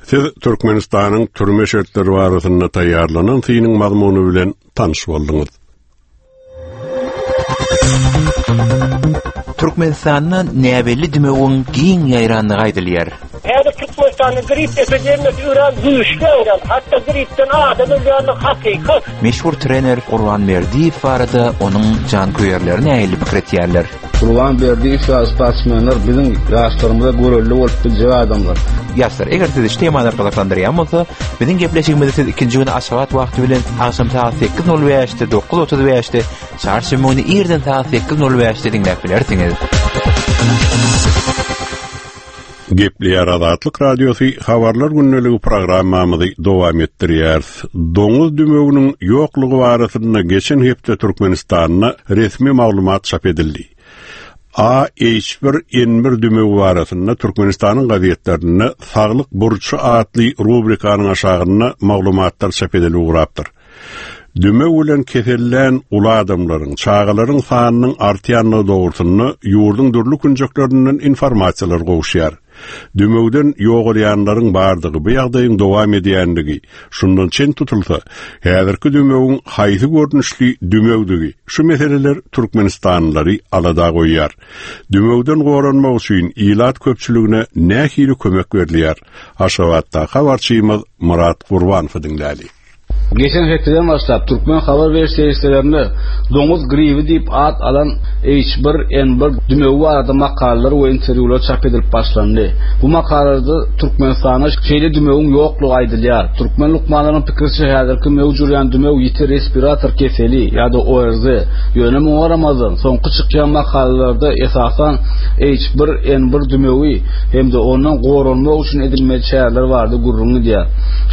Siz Türkmenistanyň türme şertleri barasynda taýýarlanan synyň mazmuny bilen tanyş bolduňyz. Türkmenistanda näbelli dümewiň giň ýaýranlygy aýdylýar. Häzir Türkmenistanda grip epidemiýasy örän güýçli ýaýran. Hatda gripden adam ölýänligi hakykat. Meşhur trener Gurban Berdiýew barada onuň janköýerleri nähili pikir etýärler? Gurban Berdiýew ýaly sportsmenler biziň ýaşlarymyza görelde bolup biljek adamlar. Ýaşlar, eger sizi şu temalar gyzyklandyrýan bolsa, biziň gepleşigimizi siz ikinji gün Aşgabat wagty bilen agşam saat sekiz nol bäşde, dokuz otuz bäşde, çarşenbe güni irden saat sekiz nol bäşde diňläp bilersiňiz. Gepleýär Azatlyk Radiosy habarlar gündeligi programmamyzy dowam etdirýär. Doňuz dümewiniň ýoklugy barasynda geçen hepde Türkmenistanda resmi maglumat çap edildi. A H bir N bir dümewi barasynda Türkmenistanyň gazetlerinde Saglyk burçy atly rubrikanyň aşagynda maglumatlar çap edilip ugrapdyr. Dümew bilen kesellän uly adamlaryň, çagalaryň sanynyň artýanlygy dogrusynda ýurduň dürli künjeklerinden informasiýalar gowuşýar. Dümewden ýogalýanlaryň bardygy, bu ýagdaýyň dowam edýänligi, şundan çen tutulsa, häzirki dümewiň haýsy görnüşli dümewdigi, şu meseleler Türkmenistanlylary alada goýýar. Dümewden goranmak üçin ilat köpçüligine nähili kömek berilýär? Aşgabatda habarçymyz Murat Gurbanowy diňläli. Geçen hepdeden başlap Türkmen habar beriş serişdelerinde doňuz gribi diýip at alan H bir N bir dümewi barada makalalar we interwýular çap edilip başlandy. Bu makalalarda Türkmenistanda şeýle dümewiň ýoklugy aýdylýar. Türkmen lukmanlarynyň pikiriçe häzirki möwç urýan dümew ýiti respirator keseli ýa-da O R Z. Ýöne muňa garamazdan soňky çykýan makalalarda esasan H bir N bir dümewi hem-de ondan goranmak üçin edilmeli çäreler barada gürrüň edýär.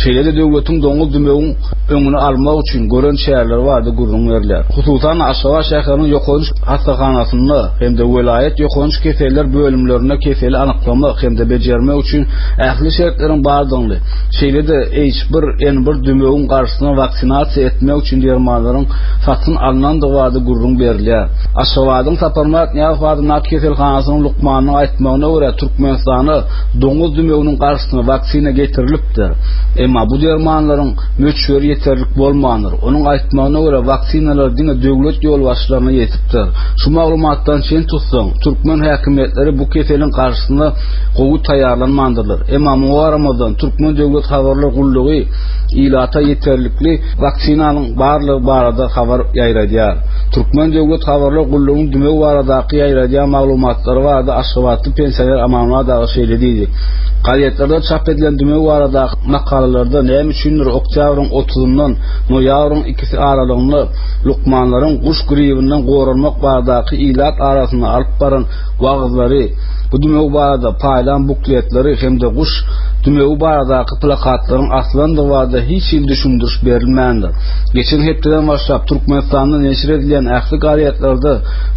Şeýle-de döwletiň doňuz dümewiň öňüni almak üçin gören çäreler barada gürrüň berilýär. Hususan Aşgabat şäheriniň ýokanç hastahanasynda hem-de welaýat ýokanç keseller bölümlerinde keseli anyklamak hem-de bejermek üçin ähli şertleriň bardygyny, şeýle-de H bir N bir dümewiň garşysyna waksinasiýa etmek üçin dermanlaryň satyn alnandygy barada gürrüň berilýär. Aşgabadyň Saparmyrat Nyýazow adyndaky keselhanasynyň lukmanynyň aýtmagyna görä Türkmenistana doňuz dümewiniň garşysyna waksina getirilipdir. Emma bu dermanlaryň möçberi ýeterlik bolmandyr. Onuň aýtmagyna görä waksinalar diňe döwlet ýolbaşçylaryna ýetipdir. Şu maglumatdan çen tutsaň, türkmen häkimiýetleri bu keseliň garşysyna gowy taýýarlanmandyrlar. Emma muňa garamazdan Türkmen döwlet habarlar gullugy ilata ýeterlikli waksinanyň barlygy barada habar ýaýradýar. Türkmen döwlet habarlar gullugynyň dümew baradaky ýaýradýan maglumatlary barada Aşgabatly pensioner Amanmyrat aga şeýle diýdi. Gazetlerde çap edilen dümew baradaky makalalarda näme üçindir oktýabryň otuzyndan noýabryň ikisi aralygynda lukmanlaryň guş gribinden goranmak baradaky ilat arasynda alyp baran wagyzlary, bu dümew barada paýlan bukletleri hem-de guş dümewi baradaky plakatlaryň aslandygy barada hiç hili düşündiriş berilmändir. Geçen hepdeden başlap Türkmenistanda neşir edilýän ähli gazetlerde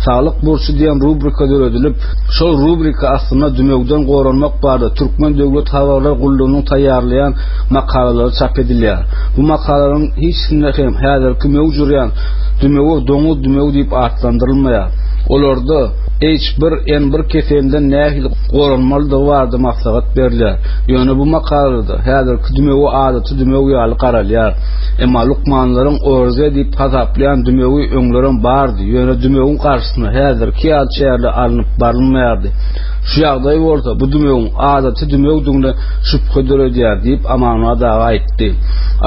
Saglyk burçy diýen rubrika döredilip, şol rubrika aslynda dümewden goranmak barada Türkmen döwlet habarlar gullugynyň taýýarlaýan makalalary çap edilýär. Bu makalalaryň hiçsinde hem häzirki möwç urýan dümewi doňuz dümewi diýip atlandyrylmaýar. Olarda H bir N bir keselinden nähili goranmalydygy barada maslahat berilýär. Ýöne bu makalada häzirki dümewi adaty dümew ýaly garalýar. Emma lukmanlaryň O R Z diýip hasaplaýan dümewi öňlerem bardy. Ýöne dümewiň garşysyna häzirki ýaly çäreler alnyp barylmaýardy. Şu ýagdaý bolsa bu dümewiň adaty dümewdigine şübhe döredýär diýip Amanmyrat aga aýtdy.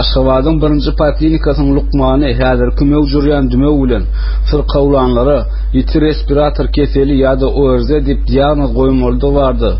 Aşgabadyň birinji poliklinikasynyň lukmany häzirki möwç urýan dümew bilen syrkawlanlara Ýiti respirator keseli ýa-da O R Z diýip diagnoz goýmalydygy barada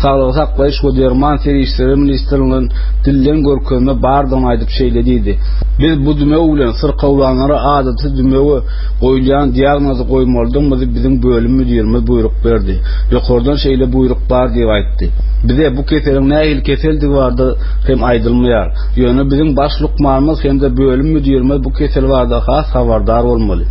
Saglygy saklaýyş we derman serişdeleri ministrliginden dilden görkezme bardygyny aýdyp şeýle diýdi. Biz bu dümew bilen syrkawlanlara adaty dümewe goýulýan diagnozy goýmalydygymyzy biziň bölüm müdirimiz buýruk berdi. Ýokardan şeýle buýruk bar diýip aýtdy. Bize bu keseliň nähili keseldigi barada hem aýdylmaýar. Ýöne biziň baş lukmanymyz hem-de bölüm müdirimiz bu kesel barada has habardar bolmaly.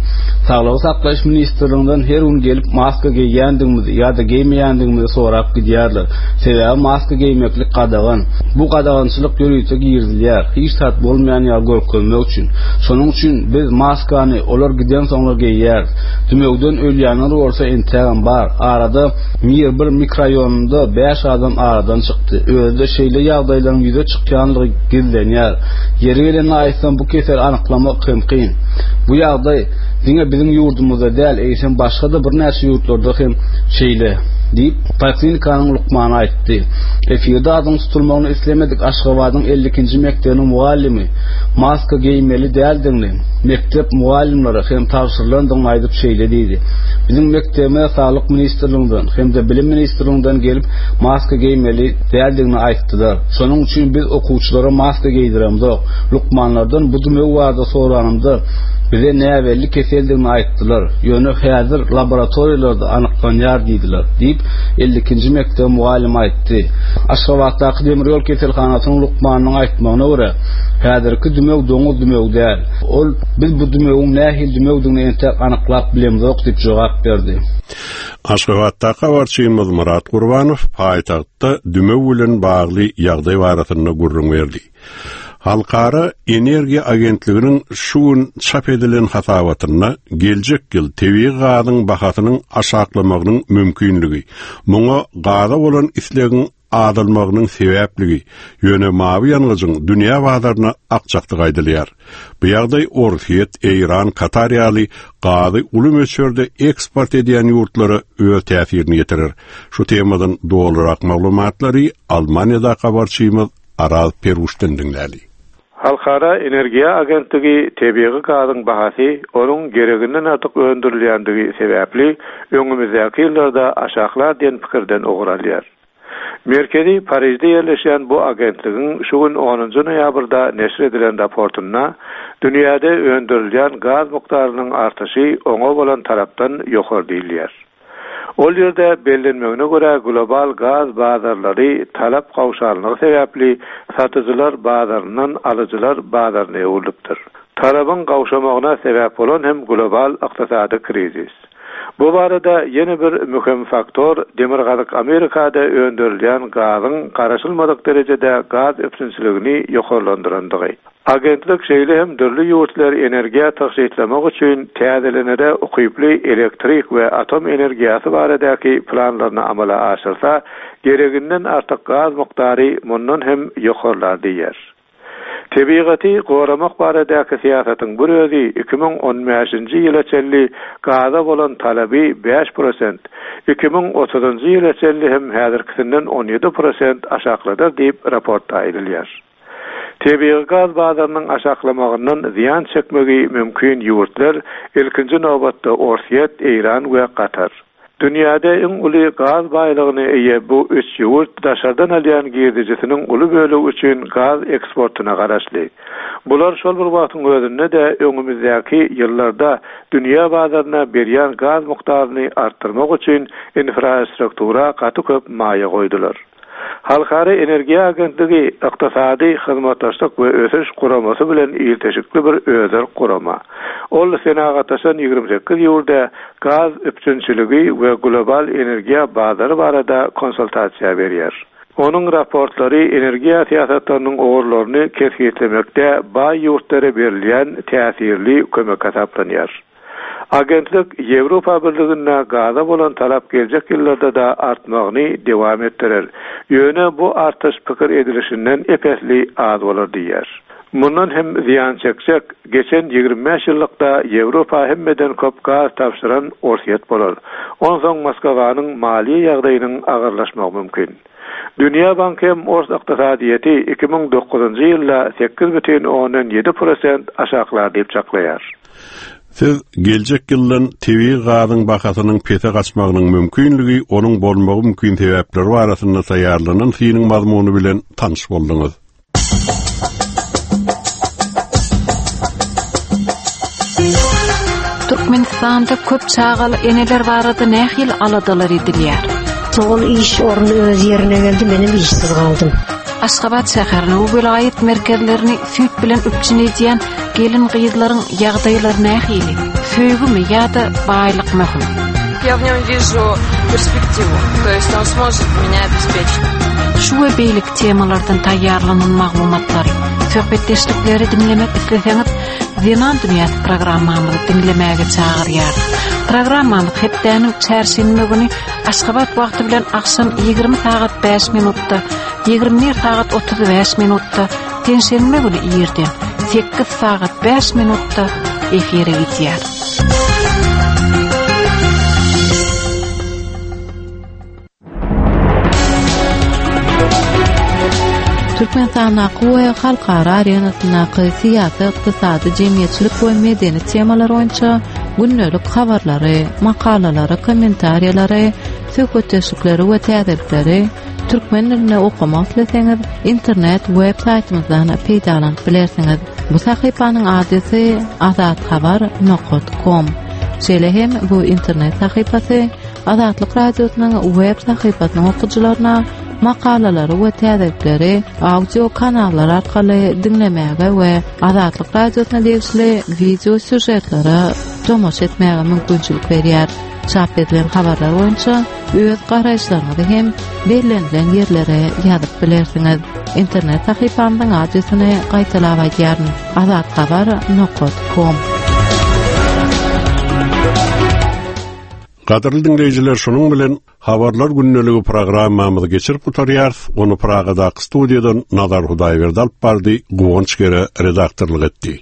Saglygy saklaýyş ministrliginden her gün gelip maska geýýändigimizi ýa-da geýmeýändigimizi sorap gidýärler. Sebäbi maska geýmeklik gadagan. Bu gadagançylyk ýörite girizilýär. Hiç zat bolmaýan ýaly görkezmek üçin. Şonuň üçin biz maskany olar giden soňra geýýäris. Dümewden ölýänler bolsa entägem bar. Arada Mir bir mikroraýonynda bäş adam aradan çykdy. Özü-de şeýle ýagdaýlaryň ýüze çykýanlygy gizlenýär. Ýeri gelende aýtsam, bu keseli anyklamak hem kyn. Bu ýagdaý diňe biziň ýurdumyzda däl, eýsem başga-da birnäçe ýurtlarda hem şeýle, diýip, poliklinikanyň lukmany aýtdy. Efirde adyň tutulmagyny islemedik Aşgabadyň elli ikinji mekdebiniň mugallymy maska geýmeli däldigini mekdep mugallymlara hem tabşyrylandygyny aýdyp şeýle diýdi, Biziň mekdebimize Saglyk ministrliginden hem-de Bilim ministrliginden gelip maska geýmeli däldigini aýtdylar. Şonuň üçin biz okuwçylara maska geýdiremzok. Lukmanlardan bu dümew barada soranymda, bize näbelli keseldigini aýtdylar. Ýöne häzir laboratoriýalarda anyklanýar diýdiler, diýip, elli ikinji mekdebiň mugallymy aýtdy. Aşgabatdaky demir ýol keselhanasynyň lukmanynyň aýtmagyna görä, häzirki dümew doňuz dümewi däl. Ol, Biz bu dümewiň nähili dümewdigini entek anyklap bilemzok diýip jogap berdi. Aşgabatdaky habarçymyz Myrat Gurbanow paýtagtda dümew bilen bagly ýagdaý barasynda gürrüň berdi. Halkara energiýa agentliginiň şu gün çap edilen hasabatynda geljek ýyl tebigy gazyň bahasynyň aşaklamagynyň mümkinligi, muňa gaza bolan islegiň azalmagynyň sebäpligi, ýöne mawy ýangyjyň dünýä bazaryna akjakdygy aýdylýar. Bu ýagdaý Orsýet, Eýran, Katar ýaly gazy uly möçberde eksport edýän ýurtlara öz täsirini ýetirer. Şu temadan dolurak maglumatlary Almaniýada habarçymyz Araz Peruşdan diňläli. Halkara energiýa agentligi tebigy gazyň bahasy onuň gereginden artyk öndürilýändigi sebäpli öňümizdäki ýyllarda aşaklar diýen pikirden ugur alýar. Merkezi Parižde ýerleşýän bu agentligiň şu gün onunjy noýabrda neşir edilen raportynda dünýäde öndürilýän gaz mukdarynyň artyşy oňa bolan tarapdan ýokary diýilýär. Ol ýerde bellenmegine görä global gaz bazarlary talap gawşanlygy sebäpli satyjylar bazaryndan alyjylar bazaryna öwrülipdir. Talabyň gawşamagyna sebäp bolan hem global ykdysady krizis. Bu barada ýene bir möhüm faktor Demirgazyk Amerikada öndürilýän gazyň garaşylmadyk derejede gaz üpjünçiligini ýokarlandyrandygy. Agentlik şeýle hem dürli ýurtlar energiýa tygşytlamak üçin täzelenere ukyply elektrik we atom energiýasy baradaky planlaryny amala aşyrsa, gereginden artyk gaz mukdary mundan hem ýokarlar diýer. Tebigaty goramak baradaky syýasatyň bir özi iki müň on bäşinji ýyla çenli gaza bolan talaby bäş prosent, iki müň otuzynjy ýyla çenli hem häzirkisinden on ýedi prosent aşakladar diýip raportda aýdylýar. Tebigy gaz bazarynyň aşaklamagyndan zyýan çekmegi mümkin ýurtlar ilkinji nobatda Orsýet, Eýran we Katar. Dünýäde iň uly gaz baýlygyny eýe bu üç ýurt daşardan alýan girdijisiniň uly bölegi üçin gaz eksportuna garaşly. Bular şol bir wagtyň özünde-de öňümizdäki ýyllarda dünýä bazaryna berýän gaz mukdaryny artdyrmak üçin infrastruktura gaty köp maýa goýdular. Halkara energiýa agentligi ykdysady hyzmatdaşlyk we ösüş guramasy bilen ilteşikli bir özerk gurama. Ol senagatlaşan ýigrimi sekiz ýurda gaz üpjünçiligi we global energiýa bazary barada konsultasiýa berýär. Onuň raportlary energiýa syýasatlarynyň ugurlaryny kesgitlemekde baý ýurtlara berilýän täsirli kömek hasaplanýar. Agentlik Ýewropa Birliginde gaza bolan talap geljek ýyllarda da artmagyny dowam etdirer. Ýöne bu artyş pikir edilişinden epesli az bolar diýär. Mundan hem zyýan çekjek, geçen ýigrimi bäş ýyllykda Ýewropa hemmeden köp gaz tabşyran Orsýet bolar. Onsoň Moskwanyň maliýe ýagdaýynyň agyrlaşmagy mümkin. Dünýä Banky hem Ors ykdysadyýeti iki müň dokuzynjy ýylda sekiz bütin ondan ýedi prosent aşaklar diýip çaklaýar. Siz geljek ýyldan tebigy gazyň bahasynyň pese gaçmagynyň mümkinligi, onuň bolmagy mümkin sebäpleri barasynda taýýarlanan synyň mazmuny bilen tanyş bolduňyz. Türkmenistanda köp çagaly eneler barada nähili aladalar edilýär? Ol iş orny öz ýerine geldi, menem işsiz galdym. Aşgabat şäheriniň welaýat merkezlerini süýt bilen üpjün edýän gelin gyzlaryň ýagdaýlary nähili? Söýgümi ýa-da baýlyk möhüm? Я в нем вижу перспективу, то есть он сможет меня обеспечить. Şu we beýleki temalardan taýýarlanan maglumatlary, söhbetdeşlikleri diňlemek isleseňiz, Zenan Dünýäsi programmamyzy diňlemäge çagyrýar. Programmamyz hepdäniň çarşenbe güni Aşgabat wagty bilen agşam ýigrimi sagat bäş minutda, ýigrimi bir sagat otuz bäş minutda, penşenbe güni irden sekiz sagat bäş minutda efire gidýär. Türkmenistandaky we halkara arenasyndaky syýasy, ykdysady, jemgyýetçilik we medeni temalar boýunça gündelik habarlary, makalalary, kommentariýalary, söhbetdeşlikleri we täzelikleri türkmen dilinde okamak isleseňiz, internet web saýtymyzdan peýdalanyp bilersiňiz. Bu sahypanyň adresi azathabar nokta com. Şeýle hem bu internet sahypasy Azatlyk Radiosynyň web sahypasynyň okyjylaryna makalalary we täzelikleri audio kanallar arkaly diňlemäge we Azatlyk Radiosyna degişli video sýužetlere tomaşa etmäge mümkinçilik berýär. Çap edilen habarlar boýunça öz garaýyşlaryňyzy hem bellenilen ýerlere ýazyp bilersiňiz. Internet sahypamyzyň adresini gaýtalap aýdýaryn: azathabar nokta com. Gadyrly diňleýjiler, şonuň bilen Habarlar gündeligi programmamyzy geçirip gutarýarys. Ony Pragadaky studiýadan Nazar Hudaýberdi alyp bardy, Guwanç Gere redaktorlyk etdi.